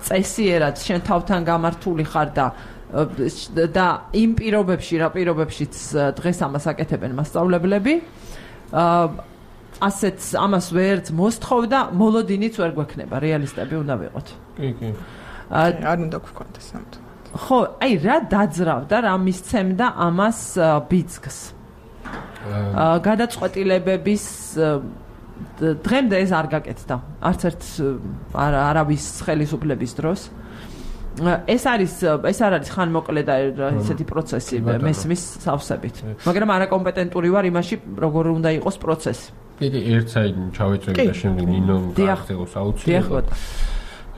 წესიერად შენ თავთან გამართული ხარ და იმ პირობებში რა პირობებშიც დღეს ამას აკეთებენ მასწავლებლები ასეც ამას ვერც მოსთხოვ და მოლოდინიც ვერ გვექნება რეალისტები უნდა ვიყოთ კი არ უნდა გქონდეს ამიტომ ხო, აი რა დაძრავდა, რა მისცემდა ამას ბიძგს. გადაწყვეტილებების დღემდე ეს არ გაკეთდა. არც ერთ არავის ხელისუფლების დროს. ეს არ არის ხანმოკლე და ესეთი პროცესი მესმის სავსებით. მაგრამ არაკომპეტენტური ვარ იმაში, როგორ უნდა იყოს პროცესი. კი, ერთ საით ჩავეწევი და შემდეგ ნინო გახდეოს აუცილებლად.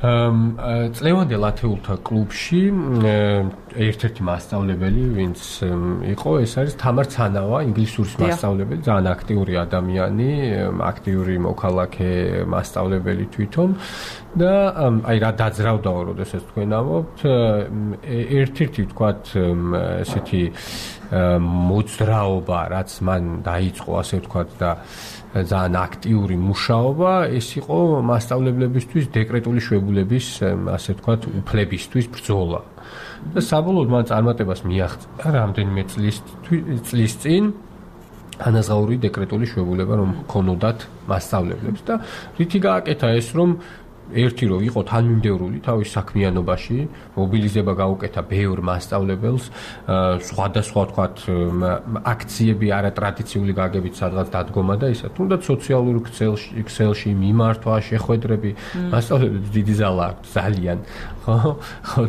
წლევანდელ ათეულთა კლუბში ერთ-ერთი მასწავლებელი, ვინც იყო, ეს არის თამარ ცანავა, ინგლისურის მასწავლებელი, ძალიან აქტიური ადამიანი, აქტიური მოქალაქე მასწავლებელი თვითონ და აი რა დაძრავდაო, როდესაც თქვენ ამბობთ, ერთ-ერთი ვთქვათ, ესეთი მოძრაობა, რაც მან დაიწყო, ასე ვთქვათ და ძალიან აქტიური მუშაობა, ეს იყო მასწავლებლებისთვის დეკრეტული შვებულების, ასე ვთქვათ, უფლებისთვის ბრძოლა. და საბოლოოდ მან წარმატებას მიაღწია რამდენიმე წლის წინ ანაზღაური დეკრეტული შვებულება რომ ჰქონოდათ მასწავლებლებს და რითი გააკეთა ეს რომ ერთი რომ იყო თანმიმდევრული თავის საქმიანობაში, მობილიზება გაუკეთა ბევრ მასწავლებელს, სხვადასხვა ვთქვათ აქციები არატრადიციული გაგებით სადღაც დადგომა და ისა. თუნდაც სოციალურ ქსელში მიმართვა, შეხვედრები, მასწავლებლებს დიდი ზალა აქვს ძალიან, ხო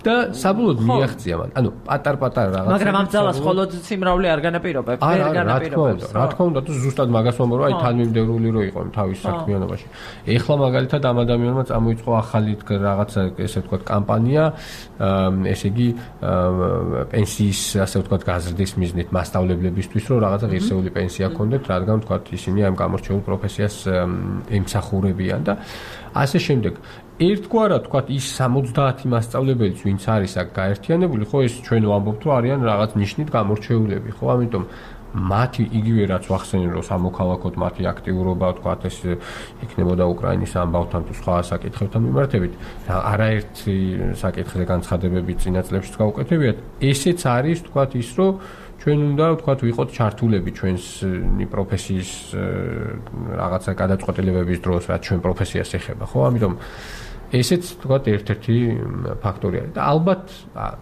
და საბოლოოდ მიაღწია მან. ანუ პატარ-პატარ რაღაც. მაგრამ ამ ძალას მხოლოდ სიმრავლე არ განაპირობებს, ვერ განაპირობებს. რა თქმა უნდა, თუ ზუსტად მაგას ვამბობ, რომ აი თანმიმდევრული რო იყო თავის საქმიანობაში. ეხლა მაგალითად ამ ადამიანმა წამოიწყო ახალი რაღაცა, ესე ვთქვათ, კამპანია, ესე იგი პენსიის, ასე ვთქვათ, გაზრდის მიზნით მასწავლებლებისთვის, რომ რაღაცა ღირსეული პენსია ჰქონდეთ, რადგან ვთქვათ, ისინი ამ გამორჩეულ პროფესიას ემსახურებიან და ასე შემდეგ. ერთგვარად ვთქვათ ის 70 მასწავლებელიც ვინც არის აქ გაერთიანებული, ხო ეს ჩვენ ვამბობთ რომ არიან რაღაც ნიშნით გამორჩეულები, ხო? ამიტომ მათი იგივე რაც ვახსენე რომ სამოქალაქოდ მათი აქტიურობა ვთქვათ ეს იქნებოდა უკრაინის ამბავთან თუ სხვა საკითხებთან მიმართებით, არაერთი საკითხზე განცხადებები წინა წლებშიც გაუკეთებიათ. ესეც არის ვთქვათ ის რომ ჩვენ უნდა ვთქვათ ვიყოთ ჩართულები ჩვენი პროფესიის რაღაცა გადაწყვეტილებების დროს, რაც ჩვენ პროფესიას ეხება, ხო? ამიტომ ესეც ვთქვათ ერთ-ერთი ფაქტორი არის და ალბათ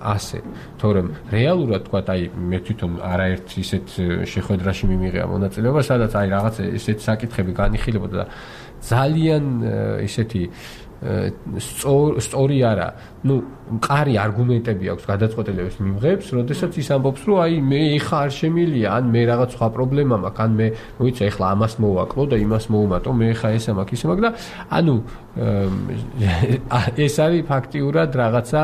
ასე, თორემ რეალურად ვთქვათ აი მე თვითონ არაერთ ისეთ შეხვედრაში მიმიღია მონაწილეობა, სადაც აი რაღაც ესეთ საკითხები განიხილებოდა და ძალიან ესეთი სწორი არა, ну, მყარი არგუმენტები აქვს გადაწყვეტილების მიმღებს, როდესაც ის ამბობს, რომ აი მე ეხა არ შემილია, ან მე რაღაც სხვა პრობლემა მაქვს, ან მე მოიცა ეხლა ამას მოვაკლო და იმას მოუმატო, მე ეხა ესა მაქვს, ისე მაქვს და ანუ ეს არის ფაქტიურად რაღაცა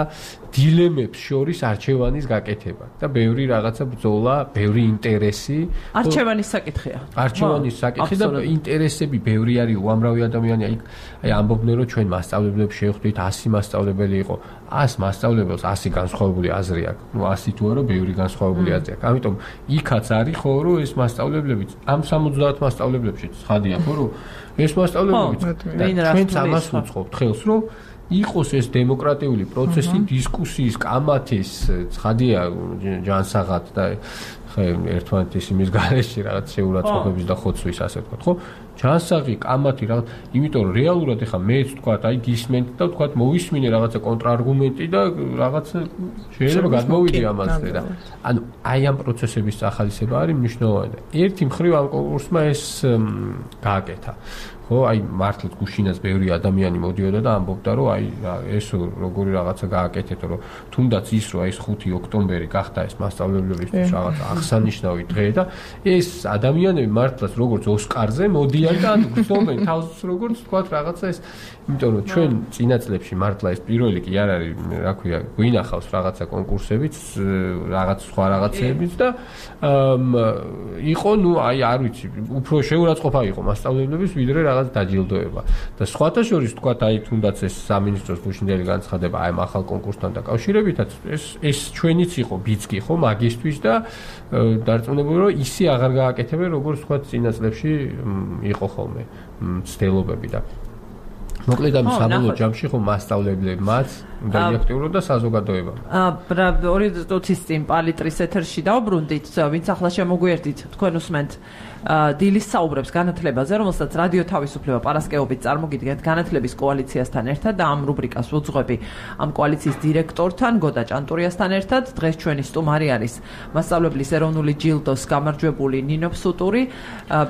დილემებს შორის არჩევანის გაკეთება და ბევრი რაღაცა ბრძოლა, ბევრი ინტერესი. არჩევანის საკითხია. არჩევანის საკითხი და ინტერესები ბევრი არის, უამრავი ადამიანი აი ამბობდნენ, რომ ჩვენ მასწავლებლებს შევხვდით 100 მასწავლებელი იყო. 100 მასწავლებელს 100 განსხვავებული აზრი აქვს. ნუ 100 თუ არა, ბევრი განსხვავებული აზრი აქვს. ამიტომ იქაც არის ხო, რომ ეს მასწავლებლებიც ამ 70 მასწავლებლებშიც ცხადია ხო, რომ ეს მასწავლებლებიც ჩვენც ამას ვუწყობთ ხელს, რომ იყოს ეს დემოკრატიული პროცესი, დისკუსიის, კამათის, ცხადია ჯანსაღად და ერთმანეთის იმის გარეშე რაღაც შეურაცხყოფების და ხოცვის ასე ვთქვათ, ხო? ჯანსაღი, კამათი რაღაც, იმიტომ რომ რეალურად ეხა მეც ვთქვათ, აი გისმენთ და ვთქვათ მოვისმინე რაღაცა კონტრარგუმენტი და რაღაცა შეიძლება გადმოვიდე ამაზე და ანუ აი ამ პროცესების ახალისება არის მნიშვნელოვანი და ერთი მხრივ ამ კონკურსმა ეს გააკეთა. ხო, აი მართლაც გუშინაც ბევრი ადამიანი მოდიოდა და ამბობდა, რომ აი ეს როგორი რაღაცა გააკეთეთ, რომ თუნდაც ის რომ აი 5 ოქტომბერი გახდა ეს მასწავლებლებისთვის რაღაც აღსანიშნავი დღე და ეს ადამიანები მართლაც როგორც ოსკარზე მოდიან და გრძნობენ თავს როგორც თქვა რაღაცა ეს, იმიტომ რომ ჩვენ წინა წლებში მართლა ეს პირველი კი არ არის, რა ქვია, გვინახავს რაღაცა კონკურსებიც, რაღაც სხვა რაღაცებიც და იყო, ну, აი არ ვიცი, უფრო შეურაცხყოფა იყო მასწავლებლების ვიდრე რაღაც დაჯილდოება. და სხვათა შორის თქვათ, აი თუნდაც ეს სამინისტროს გუშინდელი განცხადება აი ამ ახალ კონკურსთან დაკავშირებითაც ეს ჩვენიც იყო ბიძგი ხო მაგისტვის და დარწმუნებული რომ ისი აღარ გააკეთებენ როგორც თქვათ წინა წლებში იყო ხოლმე ცდილობები და მოკლედ ამ საბოლოო ჯამში ხო მასწავლებლებმაც უნდა იაქტიურონ და საზოგადოებამ. 2 წუთის წინ პალიტრის ეთერში დავბრუნდით, ვინც ახლა შემოგვიერთით, თქვენ უსმენთ დილის საუბრებს განათლებაზე, რომელსაც რადიო თავისუფლება პარასკევობით წარმოგიდგენთ განათლების კოალიციასთან ერთად და ამ რუბრიკას ვუძღვები ამ კოალიციის დირექტორთან, გოდა ჭანტურიასთან ერთად. დღეს ჩვენი სტუმარი არის მასწავლებლის ეროვნული ჯილდოს გამარჯვებული ნინო ფსუტური,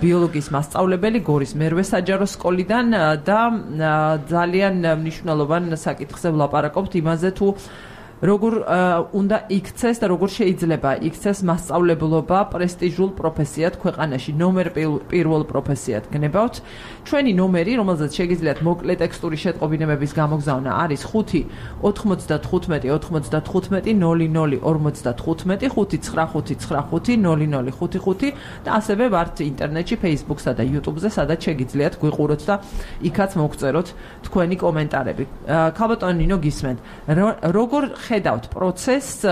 ბიოლოგიის მასწავლებელი გორის მერვე საჯარო სკოლიდან და ძალიან მნიშვნელოვან საკითხზე ვლაპარაკობთ იმაზე თუ როგორ უნდა იქცეს და როგორ შეიძლება იქცეს მასწავლებლობა პრესტიჟულ პროფესიად ქვეყანაში, ნომერ პირველ პროფესიად გნებავთ. ჩვენი ნომერი, რომელზეც შეგიძლიათ მოკლე ტექსტური შეტყობინებების გამოგზავნა, არის 5 95 95 00 55 595 0055 და ასევე ვართ ინტერნეტში, Facebook-სა და YouTube-ზე, სადაც შეგიძლიათ გვიყუროთ და იქაც მოგწეროთ თქვენი კომენტარები. ქალბატონო ნინო, გისმენთ. როგორ ხედავთ პროცესს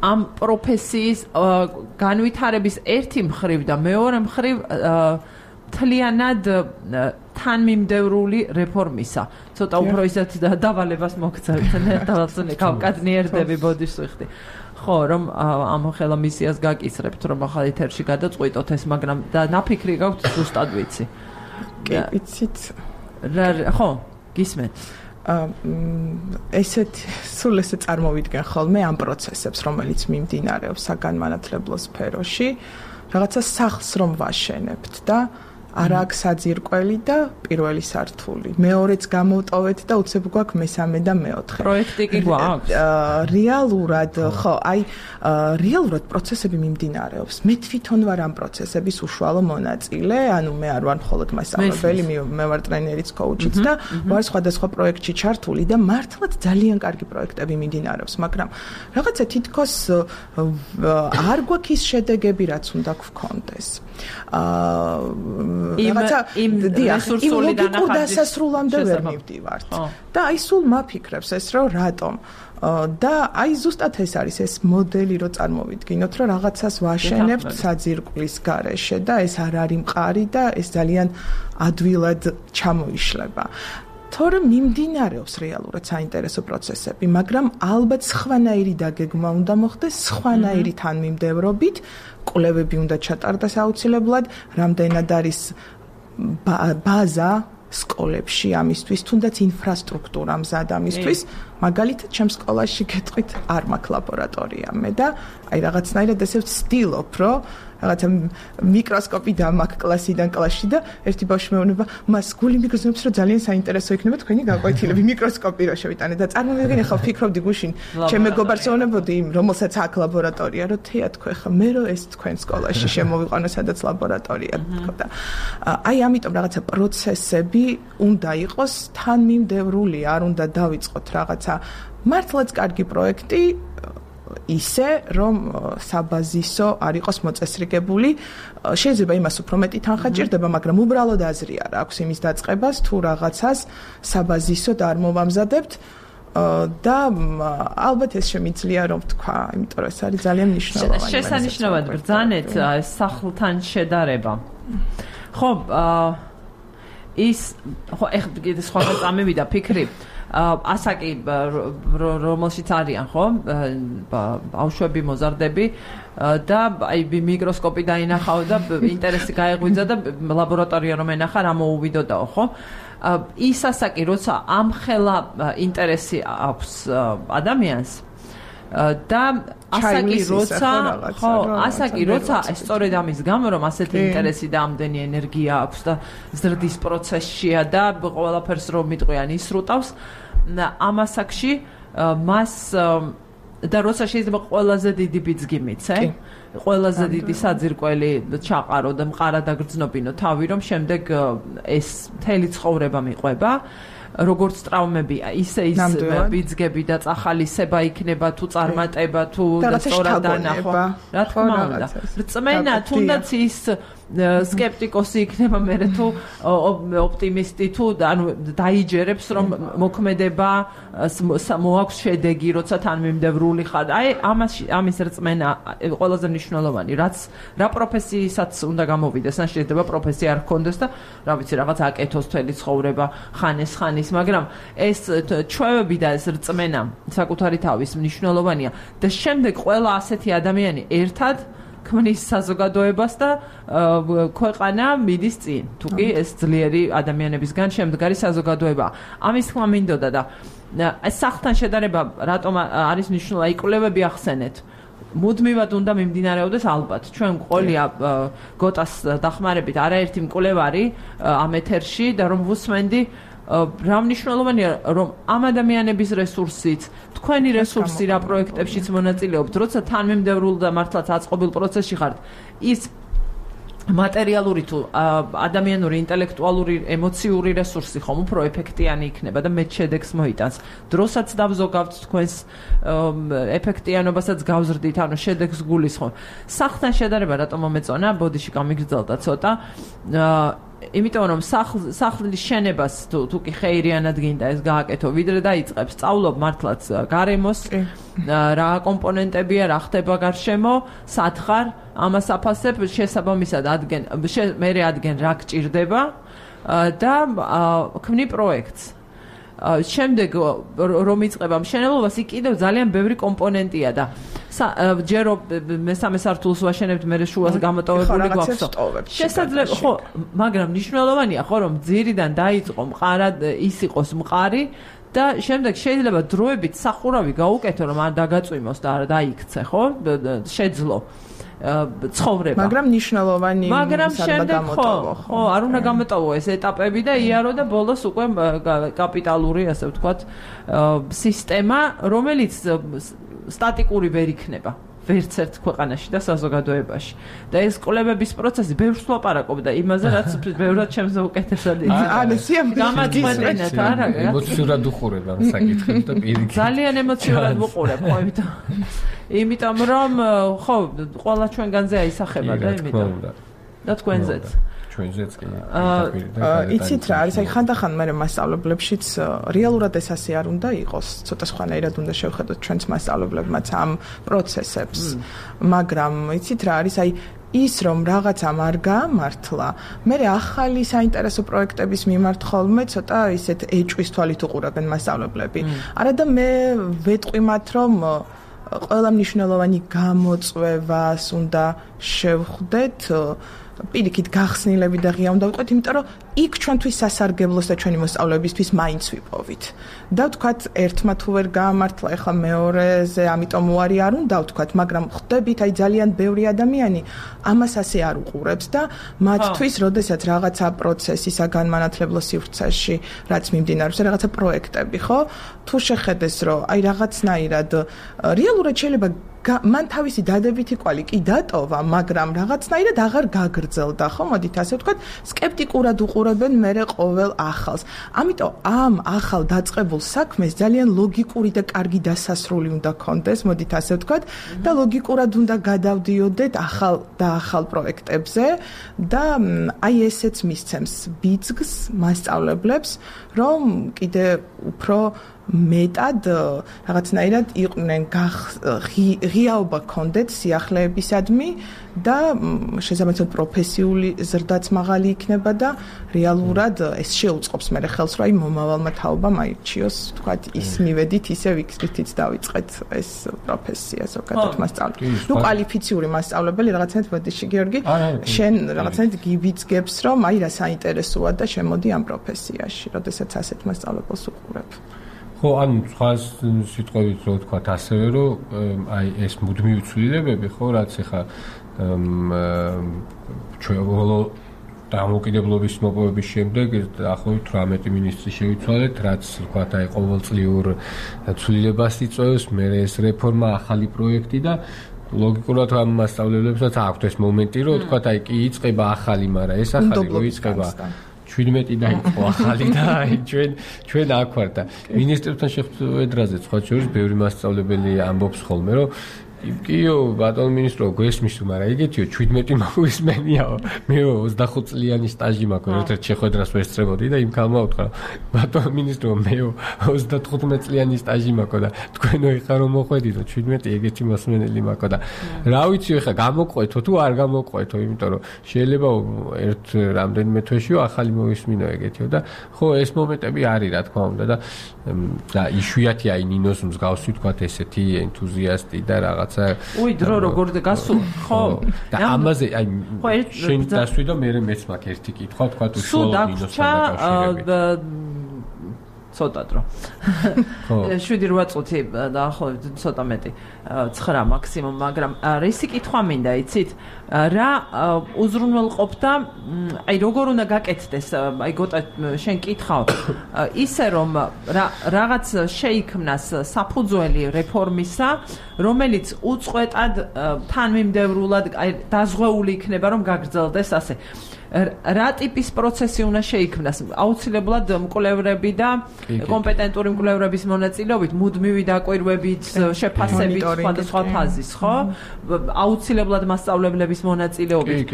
ამ პროფესიის განვითარების ერთი მხრივ და მეორე მხრივ თლიანად თანმიმდევრული რეფორმისა. ცოტა უფრო ისეთ დავალებას მოგცემთ, დავალწუნე კავკადნიერდები ბოდიშს ვიხდი. ხო, რომ ამ ხელა მისიას გაკისრებთ, რომ ახალ ეთერში გადაწყვიტოთ ეს, მაგრამ და ნაფიქრი გაქვთ ზუსტად ვიცი. კი, ვიცით. ხო, გისმენთ. ესეთ სულ ესე წარმოვიდგენ ხოლმე ამ პროცესებს, რომელიც მიმდინარეობს საგანმანათლებლო სფეროში, რაღაცა სახლს რომ ვაშენებთ და არა აქვს საძირკველი და პირველი სართული. მეორეც გამოვტოვეთ და უცებ გვაქვს მესამე და მეოთხე. პროექტი კი გვაქვს? რეალურად, ხო, რეალურად პროცესები მიმდინარეობს. მე თვითონ ვარ ამ პროცესების უშუალო მონაწილე, ანუ მე არ ვარ მხოლოდ მასწავლებელი, მე ვარ ტრენერიც, კოუჩიც და ვარ სხვადასხვა პროექტში ჩართული და მართლაც ძალიან კარგი პროექტები მიმდინარეობს, მაგრამ რაღაცა თითქოს არ გვაქვს ის შედეგები, რაც უნდა გვქონდეს. რაღაცა რესურსული დასასრულამდე ვერ მივდივართ. და აი სულ მაფიქრებს ეს რომ რატომ და აი ზუსტად ეს არის ეს მოდელი რომ წარმოვიდგინოთ რომ რაღაცას ვაშენებთ საძირკვლის გარეშე და ეს არ არის მყარი და ეს ძალიან ადვილად ჩამოიშლება. თორემ მიმდინარეობს რეალურად საინტერესო პროცესები, მაგრამ ალბათ სხვანაირი დაგეგმა უნდა მოხდეს, სხვანაირი თანმიმდევრობით, კვლევები უნდა ჩატარდეს აუცილებლად, რამდენად არის ბაზა სკოლებში ამისთვის, თუნდაც ინფრასტრუქტურა მზად ამისთვის, მაგალითად, ჩემ სკოლაში გეტყვით არ მაქვს ლაბორატორია მე და აი რაღაცნაირად ესე ვცდილობ, რომ რაღაცა მიკროსკოპი დამაქვს კლასიდან კლასში და ერთი ბავშვი მეუბნება, მას გული მიგრძნობს, რომ ძალიან საინტერესო იქნება თქვენი გაკვეთილები, მიკროსკოპი რო შევიტანე და წარმოვიდგინე ხა ვფიქრობდი გუშინ, ჩემ მეგობარს ეუბნებოდი იმ, რომელსაც აქვს ლაბორატორია, რომ თეა თქვენ ხა მე რო ეს თქვენ სკოლაში შემოვიყვანო, სადაც ლაბორატორია თქო და აი ამიტომ რაღაცა პროცესები უნდა იყოს თანმიმდევრული, არ უნდა დავიწყოთ რაღაცა მართლაც კარგი პროექტი ისე რომ საბაზისო არ იყოს მოწესრიგებული, შეიძლება იმას უფრო მეტი თანხა ჭირდება, მაგრამ უბრალოდ აზრი არ აქვს იმის დაწყებას თუ რაღაცას საბაზისოდ არ მოვამზადებთ და ალბათ ეს შემიძლია რომ თქვა, იმიტომ რომ ეს არის ძალიან მნიშვნელოვანი. შესანიშნავად ბრძანეთ სახლთან შედარება. ხო, ის ხო ეხლა კიდე სხვა წამევიდა ფიქრი. ასაკი რომელშიც არიან ხო ბავშვები მოზარდები და აი მიკროსკოპი დაინახავ და ინტერესი გაეღვიძა და ლაბორატორია რომ ენახა რა მოუვიდოდაო ხო ის ასაკი როცა ამხელა ინტერესი აქვს ადამიანს და ასაკი როცა სწორედ ამის გამო რომ ასეთი ინტერესი და ამდენი ენერგია აქვს და ზრდის პროცესშია და ყველაფერს რომ მიტყვიან ისრუტავს ამ ასაკში მას და როცა შეიძლება ყველაზე დიდი ბიძგი მიცე ყველაზე დიდი საძირკველი ჩაყარო და მყარად აგრძნობინო თავი რომ შემდეგ ეს მთელი ცხოვრება მიყვება როგორც ტრავმებია, ისე ის ბიძგები და წახალისება იქნება თუ წარმატება თუ სწორად დანახვა. რა თქმა უნდა. რწმენა თუნდაც ის სკეპტიკოსი იქნება მერე თუ ოპტიმისტი თუ ანუ დაიჯერებს რომ მოქმედება მოაქვს შედეგი, როცა თანმიმდევრული ხარ. აი ამის რწმენა ყველაზე მნიშვნელოვანი, რაც რა პროფესიისაც უნდა გამოვიდეს, ან შეიძლება პროფესია არ ჰქონდეს და რა ვიცი რაღაც აკეთოს თელი ცხოვრება ხანის, მაგრამ ეს ჩვევები და ეს რწმენა საკუთარი თავის მნიშვნელოვანია და შემდეგ ყველა ასეთი ადამიანი ერთად ქმნის საზოგადოებას და ქვეყანა მიდის წინ. თუ კი ეს ძლიერი ადამიანებისგან შემდგარი საზოგადოება. ამის თქმა მინდოდა და ეს სახლთან შედარება რატომ არის მნიშვნელოვანი? კვლევები ახსენეთ. მუდმივად უნდა მიმდინარეობდეს ალბათ. ჩვენ ყოლია გოტას დახმარებით არაერთი მკვლევარი ამ ეთერში და რომ ვუსმენდი რა მნიშვნელოვანია რომ ამ ადამიანების რესურსით თქვენი რესურსი რა პროექტებშიც მონაწილეობთ როცა თანმიმდევრულ და მართლაც აწყობილ პროცესში ხართ ის მატერიალური თუ ადამიანური ინტელექტუალური ემოციური რესურსი ხომ უფრო ეფექტიანი იქნება და მეტ შედეგს მოიტანს დროსაც დავზოგავთ თქვენს ეფექტიანობასაც გავზრდით ანუ შედეგს გულისხმობ სახლთან შედარება რატომ მომეწონა ბოდიში გამიგრძელდა ცოტა იმიტომ რომ სახლის შენებას თუ კი ხეირიანად გინდა ეს გააკეთო ვიდრე დაიწყებს სწავლობ მართლაც გარემოს რა კომპონენტებია რა ხდება გარშემო სათხარ ამას აფასებ შესაბამისად ადგენ რა გჭირდება და ქმნი პროექტს შემდეგ რომ იწყება მშენებლობას იქ კიდევ ძალიან ბევრი კომპონენტია და ჯერო მესამე სართულს ვაშენებთ მე შუას გამოტოვებული გვაქვს შესაძლოა ხო მაგრამ მნიშვნელოვანია ხო რომ ძირიდან დაიწყო მყარად ის იყოს მყარი და შემდეგ შეიძლება დროებით სახურავი გაუკეთო რომ არ დაგაწვიმოს და არ დაიქცე ხო შეძლო ცხოვრება მაგრამ მნიშვნელოვანი მაგრამ შემდეგ ხო არ უნდა გამოტოვო ეს ეტაპები და იარო და ბოლოს უკვე კაპიტალური ასე ვთქვათ სისტემა რომელიც სტატიკური ვერ იქნება ვერც ერთ ქვეყანაში და საზოგადოებაში და ეს კვლევების პროცესი ბევრს ვლაპარაკობ და იმაზე რაც ბევრად ჩემზე უკეთესად გამაწყვეტინეთ არა ემოციურად უყურებ ამ საკითხებს და პირიქით ძალიან ემოციურად ვუყურებ ხო იმიტომ რომ ხო ყველა ჩვენგანზე აისახება და იმიტომ და თქვენზეც ჩვენზეც კი იცით რა არის აი ხანდახან მე მასწავლებლებშიც რეალურად ეს ასე არ უნდა იყოს ცოტა სხვანაირად უნდა შევხედოთ ჩვენს მასწავლებლებმაც ამ პროცესებს მაგრამ იცით რა არის აი ის რომ რაღაცამ არ გაამართლა მე ახალი საინტერესო პროექტების მიმართ ხოლმე ცოტა ისეთ ეჭვის თვალით უყურებენ მასწავლებლები არა და მე ვეტყვი მათ რომ ყველა მნიშვნელოვანი გამოწვევას უნდა შევხვდეთ პირიქით გახსნილები და ღია უნდა ვიყოთ, იმიტომ რომ იქ ჩვენთვის სასარგებლოს და ჩვენი მოსწავლეებისთვის მაინც ვიპოვით. და ვთქვათ, ერთმა თუ ვერ გაამართლა, ეხლა მეორეზე, ამიტომ უარი არ უნდა ვთქვათ, მაგრამ ხვდებით, აი ძალიან ბევრი ადამიანი ამას ასე არ უყურებს და მათთვის, როდესაც რაღაცა პროცესი საგანმანათლებლო სივრცეში, რაც მიმდინარეობს, რაღაცა პროექტები, ხო? თუ შეხედეს, რომ აი რაღაცნაირად რეალურად შეიძლება მან თავისი დადებითი კვალი კი დატოვა, მაგრამ რაღაცნაირად აღარ გაგრძელდა, ხო? მოდით ასე ვთქვათ, სკეპტიკურად უყურებენ მერე ყოველ ახალს. ამიტომ ამ ახალ დაწყებულ საქმეს ძალიან ლოგიკური და კარგი დასასრული უნდა ქონდეს, მოდით ასე ვთქვათ, და ლოგიკურად უნდა გადავდიოდეთ ახალ პროექტებზე და აი ესეც მისცემს ბიძგს მასწავლებლებს, რომ კიდე უფრო მეტად რაღაცნაირად იყვნენ ღიაობა ქონდეთ სიახლეებისადმი და შესაბამისად პროფესიული ზრდაც მაღალი იქნება და რეალურად ეს შეუწყობს მე ხელს რომ აი მომავალმა თაობამ აირჩიოს თქვათ ის მივედით ისევ იქით დავიწყეთ ეს პროფესია ზოგადად მასწავლებელი ნუ კვალიფიციური მასწავლებელი რაღაცნაირად ბოდიში გიორგი შენ რაღაცნაირად გიბიძგებს რომ აი რა საინტერესოა და შემოდი ამ პროფესიაში როდესაც ასეთ მასწავლებელს უყურებ ხო, ანუ სხვა სიტყვებით რო ვთქვათ ასევე, რომ აი ეს მუდმივი ცვლილებები, ხო, რაც ახლა ჩვენ დამოუკიდებლობის მოპოვების შემდეგ დაახლოებით 18 მინისტრი შევიცვალეთ, რაც ვთქვათ აი ყოველწლიურ ცვლილებას იწვევს, მე ეს რეფორმა, ახალი პროექტი და ლოგიკურად ამ მასწავლებლებსაც აქვთ ეს მომენტი, რომ ვთქვათ აი კი იწყება ახალი, მაგრამ ეს ახალი რო იწყება 17 დაიწყო ახალი და აი ჩვენ აქ ვარ და მინისტრებთან შეხვედრაზე სხვა შორის ბევრი მასწავლებელი ამბობს ხოლმე რომ კიო ბატონ მინისტრო გვესმისო მაგრამ იგეთიო 17 მოგვისმენიაო მე 25 წლიანი სტაჟი მაქვს ერთ შეხვედრას ვესწრებოდი და იმ ქალმა უთხრა ბატონ მინისტრო მე 35 წლიანი სტაჟი მაქვს და თქვენო ეხა რომ მოხვედითო 17 ეგეთი მოსმენელი მაქვს და რა ვიცი ეხა გამოყვეთო თუ არ გამოყვეთო იმიტომ რომ შეიძლება ერთ რამდენიმე თვეშიო ახალი მოვისმინო ეგეთიო და ხო ეს მომენტები არის რა თქმა უნდა და იშვიათი აი ნინოს მსგავსი თქვა ესეთი ენთუზიასტი და რაღაც უი დრო როგორ გასულ ხო და ამაზე აი შენ დასვი და მე მეც მაქვს ერთი კითხვა თქვა უშუალოდ მინოსთან დაკავშირებით ცოტა დრო. 7-8 წუთი დაახლოებით ცოტა მეტი 9 მაქსიმუმ, მაგრამ რისი კითხვა მინდა, იცით? რა უზრუნველყოფდა, აი როგორ უნდა გაკეთდეს, აი გოტა შენ კითხავ, ისე რომ რაღაც შეიქმნას საფუძველი რეფორმისა, რომელიც უწყვეტად თანმიმდევრულად დაზღვეული იქნება, რომ გაგრძელდეს ასე. რა ტიპის პროცესი უნდა შეიქმნას? აუცილებლად მკვლევრები და კომპეტენტური მკვლევრების მონაწილეობით, მუდმივი დაკვირვებით, შეფასებით სხვადასხვა ფაზის, ხო? აუცილებლად მასწავლებლების მონაწილეობით.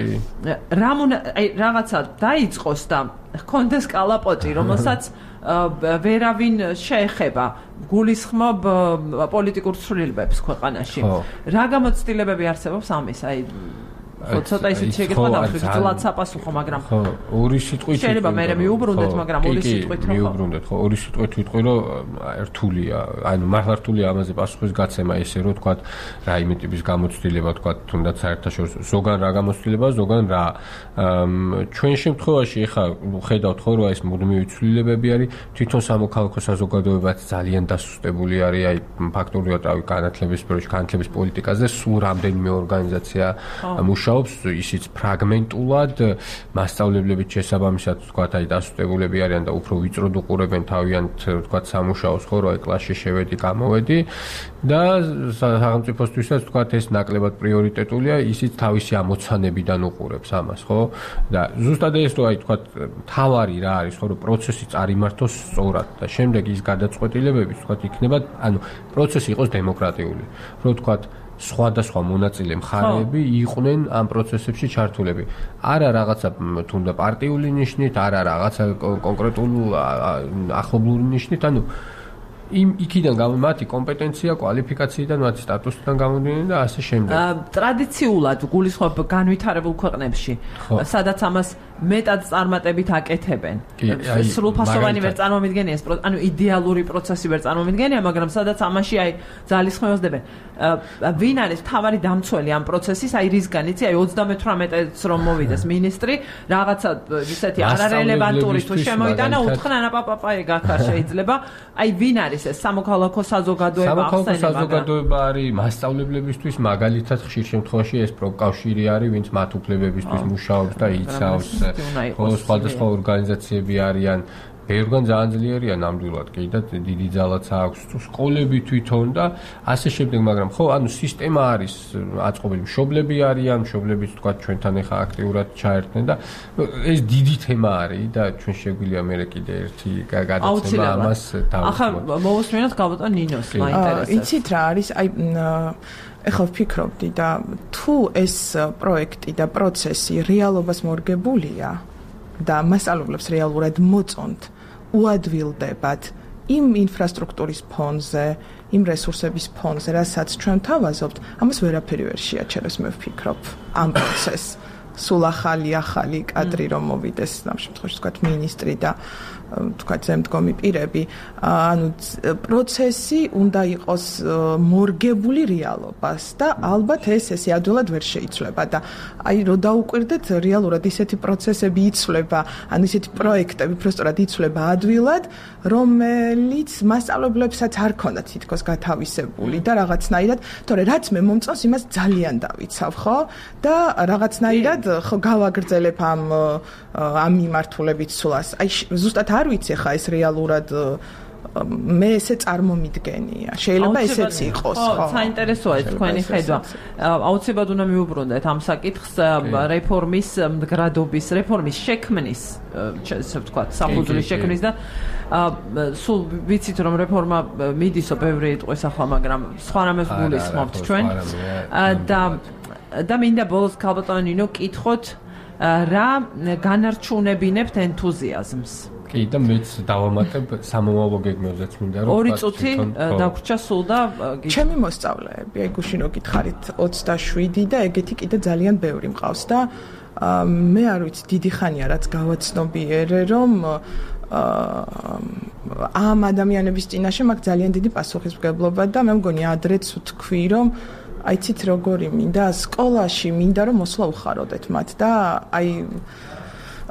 რაღაცა დაიწყოს და ჰქონდეს კალაპოტი, რომელსაც ვერავინ შეეხება, გულისხმობ პოლიტიკურ ცვლილებებს ქვეყანაში. რა გამოცდილებები არსებობს ამის? აი ცოტა ისიც შეგეთქვა დავშვით საპასუხო, მაგრამ ორი სიტყვით შეიძლება მე მიუბრუნდეთ, მაგრამ ორი სიტყვით ხო მიუბრუნდეთ, ხო ორი სიტყვით ვიტყვი, რომ რთულია, ანუ მართლა რთულია ამაზე პასუხის გაცემა, ესე რომ თქვა რაიმე ტიპის გამოცდილება, თქვა თუნდაც საერთაშორისო ზოგან რა გამოცდილება, ზოგან რა ჩვენ შემთხვევაში ახლა ხედავთ ხო რომ ეს მუდმივი ცვლილებები არის, თვითონ სამოქალაქო საზოგადოებაც ძალიან დასუსტებული არის, აი ფაქტობრივად რავი განათლების სფეროში, განათლების პოლიტიკაზე სულ რამდენიმე ორგანიზაცია ისიც ფრაგმენტულად მასწავლებლებით შესაბამისად თქვათ აი დასუსტებულები არიან და უფრო ვიწროდ უყურებენ თავიანთ თქვათ სამუშაოს ხო რომ აი კლასში შევედი გამოვედი და სახელმწიფოსთვისაც თქვათ ეს ნაკლებად პრიორიტეტულია ისიც თავისი ამოცანებიდან უყურებს ამას ხო და ზუსტად ეს რომ აი თქვათ თავარი რა არის ხო რომ პროცესი წარიმართოს სწორად და შემდეგ ის გადაწყვეტილებები თქვათ იქნება ანუ პროცესი იყოს დემოკრატიული რომ თქვათ სხვადასხვა მონაწილე მხარეები იყვნენ ამ პროცესებში ჩართულები. არა რაღაცა თუნდა პარტიული ნიშნით, არა რაღაცა კონკრეტულ ახლობლური ნიშნით, ანუ იქიდან მათი კომპეტენცია, კვალიფიკაციიდან, მათი სტატუსიდან გამომდინარე და ასე შემდეგ. ტრადიციულად გულისხმობ განვითარებულ ქვეყნებში, სადაც ამას მეტად წარმატებით აკეთებენ. სრულფასოვანი ვერ წარმომიდგენია ეს, ანუ იდეალური პროცესი ვერ წარმომიდგენია, მაგრამ სადაც ამაში აი ძალისხმევას დებენ. ვინ არის თავარი დამცველი ამ პროცესის, აი რისგან იცი, აი 38-ს რომ მოვიდეს მინისტრი, რაღაცა ისეთი არარელევანტური თუ შემოიტანა, უთხრანა პაპაე გახარ შეიძლება. აი ვინ არის ეს სამოქალაქო საზოგადოება ახსენება? სამოქალაქო საზოგადოება არის მასწავლებლებისთვის, მაგალითად ხშირ შემთხვევაში ეს პროკავშირი არის, ვინც მათ უფლებებისთვის მუშაობს და იცავს. სხვადასხვა ორგანიზაციები არიან, ბევრგან ძალიან ძლიერია ნამდვილად კი და დიდი ძალაც აქვს სკოლები თვითონ და ასე შემდეგ, მაგრამ ხო, ანუ სისტემა არის აწყობილი, მშობლები არიან, მშობლებიც თქვა ჩვენთან ახლა აქტიურად ჩაერთნენ და ეს დიდი თემა არის და ჩვენ შეგვიძლია მე კიდე ერთი გადაცემა ამას დავუწყოთ. ახლა მოვუსმინოთ გალბატონ ნინოს, მაინტერესებს. იცით რა არის, აი ეხლა ვფიქრობდი და თუ ეს პროექტი და პროცესი რეალობას მორგებულია და მასწავლებლებს რეალურად მოწონთ უადვილდებათ იმ ინფრასტრუქტურის ფონზე, იმ რესურსების ფონზე, რასაც ჩვენ თავაზობთ, ამას ვერაფერი ვერ შეაჩერებს, მე ვფიქრობ, ამ პროცესს. სულ ახალი კადრი რომ მოვიდეს, ამ შემთხვევაში თქვათ მინისტრი და თქვათ ზემდგომი პირები, ანუ პროცესი უნდა იყოს მორგებული რეალობას და ალბათ ესე ადვილად ვერ შეიცვლება და აი რო დაუკვირდეთ რეალურად ისეთი პროცესები იცვლება, ანუ ისეთი პროექტები უბრალოდ იცვლება ადვილად, რომელიც მასწავლებლებსაც არ ქონდათ თითქოს გათავისებული და რაღაცნაირად, თორე რაც მე მომწონს, იმას ძალიან დავიცავ, ხო? და რაღაცნაირად ხო გავაგრძელებ ამ მიმართულებით სულას. აი ზუსტად არ ვიცი ხა ეს რეალურად მე ესე წარმომიდგენია. შეიძლება ესეც იყოს, ხო? საინტერესოა ეს თქვენი ხედვა. აუცილებლად უნდა მიუბრუნდეთ ამ საკითხს რეფორმის მდგრადობის, რეფორმის შექმნის, ესე ვთქვათ, საფუძვლის შექმნის და სულ ვიცით რომ რეფორმა მიდისო ბევრი იტყვის ახლა, მაგრამ სხვა რამეს გულისხმობთ ჩვენ. და მინდა ბოლოს გალბატონ ნინო კითხოთ რა განარჩუნებინებთ ენთუზიაზმს? კი და მეც დავამატებ სამომავლო გეგმებზეც მინდა რომ 2 წუთი დაგვრჩა სულ და ჩემი მოსწავლეები, აი გუშინ რო გითხარით 27 და ეგეთი კიდე ძალიან ბევრი მყავს და მე არ ვიცი დიდი ხანია რაც გავაცნობიერე რომ ამ ადამიანების წინაშე მაქვს ძალიან დიდი პასუხისმგებლობა და მე მგონი ადრეც ვთქვი რომ აიცით როგორი მინდა სკოლაში მინდა რომ მოსვლა უხაროდეთ მათ და აი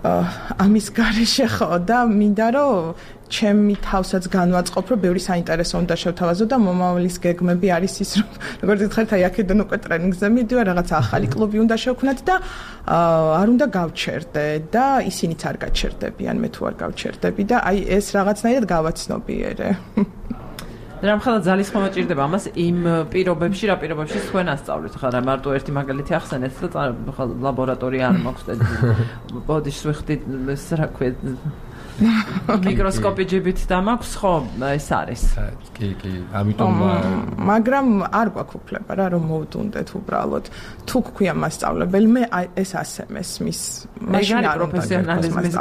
ამის გარეშე ხო და მინდა რომ ჩემი თავსაც განვაწყობ რომ ბევრი საინტერესო უნდა შევთავაზო და მომავლის გეგმები არის ის რომ როგორც გითხარით აი აქედან უკვე ტრენინგზე მიდივარ რაღაც ახალი კლუბი უნდა შევქმნათ და არ უნდა გავჩერდე და ისინიც არ გაჩერდებიან მე თუ არ გავჩერდები და აი ეს რაღაცნაირად გავაცნობიერე რამხელა ძალის ხმა ჭირდება ამას იმ პირობებში რა პირობებში თქვენ ასწავლეთ ხა რა მარტო ერთი მაგალითი ახსენეთ და ლაბორატორია არ მაქვს და ბოდიშს ვიხდით ეს რა ქვია მიკროსკოპი ჯიბით და მაქვს ხო ეს არის კი ამიტომ მაგრამ არ გვაქვს უფლება რა რომ მოვდუნდეთ უბრალოდ თუ გქვია მასწავლებელი მე ეს ასე მესმის მაშინ არ პროფესიონალიზმის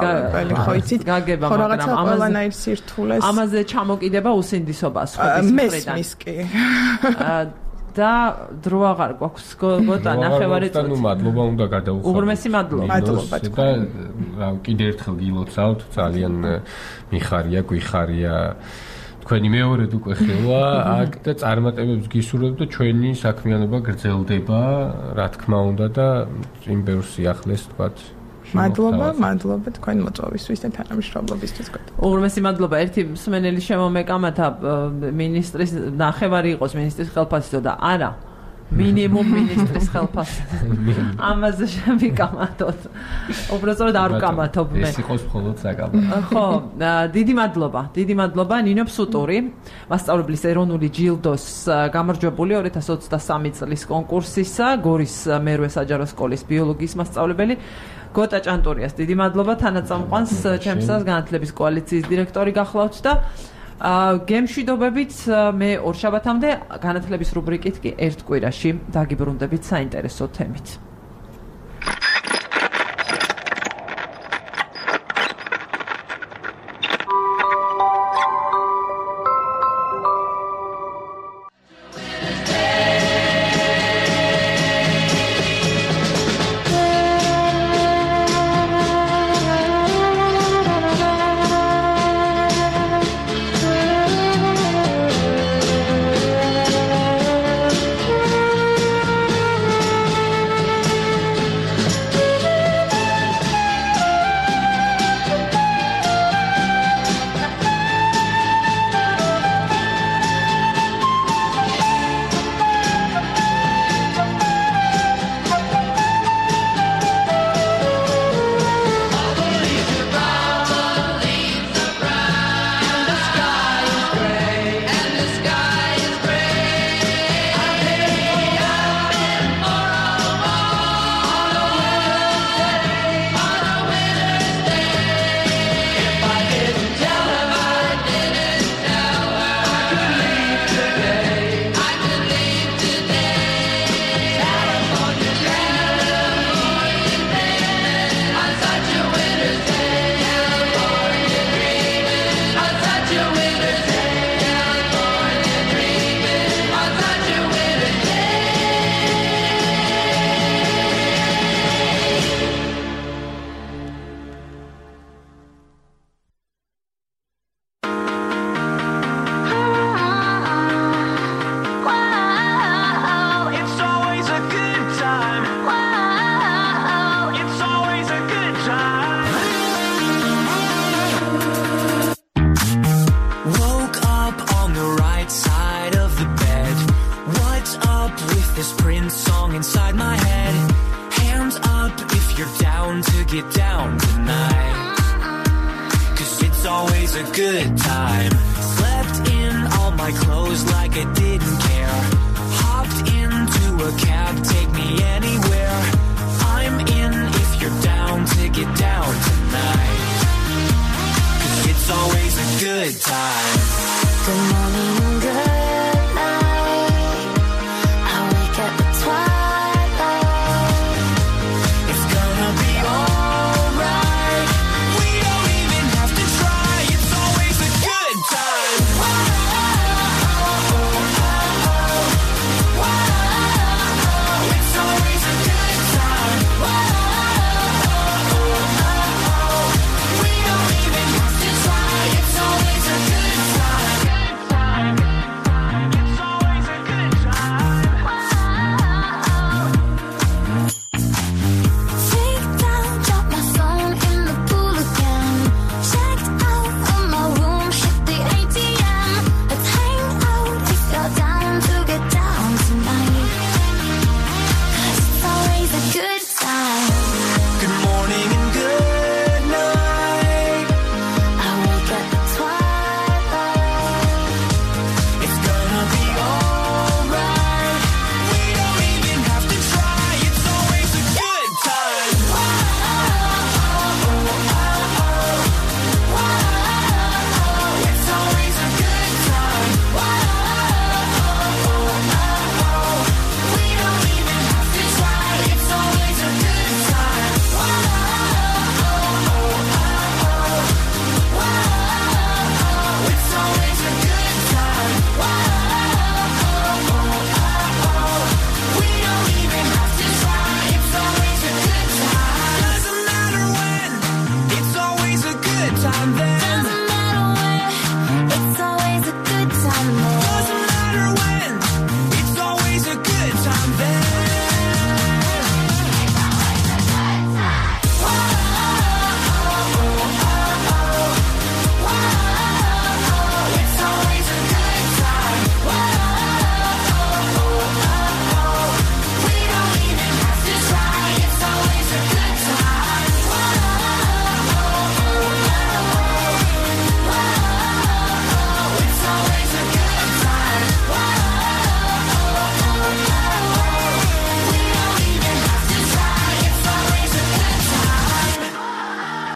ხო იცით გაგება მაგრამ ყველანაირ სირთულეს ამაზე ჩამოკიდება უსინდისობას ხო ის მესმის კი და დრო აღარ გვაქვს გოტა ნახევარი წუთი. ნუ მადლობა უნდა გადაუხადოთ. უღრმესი მადლობა. მადლობა თქვენ. და კიდე ერთხელ გილოცავთ, ძალიან მიხარია, გვიხარია. თქვენი მეორედ უკვე ხელა აქ და წარმატებებს გისურვებთ და ჩვენი საქმიანობა გრძელდება, რა თქმა უნდა და იმ ბევრ სიახლეს თქვათ. მადლობა თქვენ მოწვევისთვის და თანამშრომლობისთვის. უღრმესი მადლობა. ერთი მსმენელი შემომეკამათა მინისტრის ნახევარი იყოს მინისტრის ხელფასი და არა მინიმუმ მინისტრის ხელფასი. ამაზე შემიკამათოთ. უბრალოდ არ ვკამათობ მე. ეს იყოს მხოლოდ საკამათო. ხო, დიდი მადლობა ნინო ფსუტური, მასწავლებლის ეროვნული ჯილდოს გამარჯვებული 2023 წლის კონკურსისა, გორის მერვე საჯარო სკოლის ბიოლოგიის მასწავლებელი. გოტა ჭანტურიას დიდი მადლობა თანაწამყვანს ჩემსას განათლების კოალიციის დირექტორი გახლავთ და გემშვიდობებით მე ორშაბათამდე განათლების რუბრიკით კი ერთ კვირაში დაგიბრუნდებით საინტერესო თემით. Good morning, good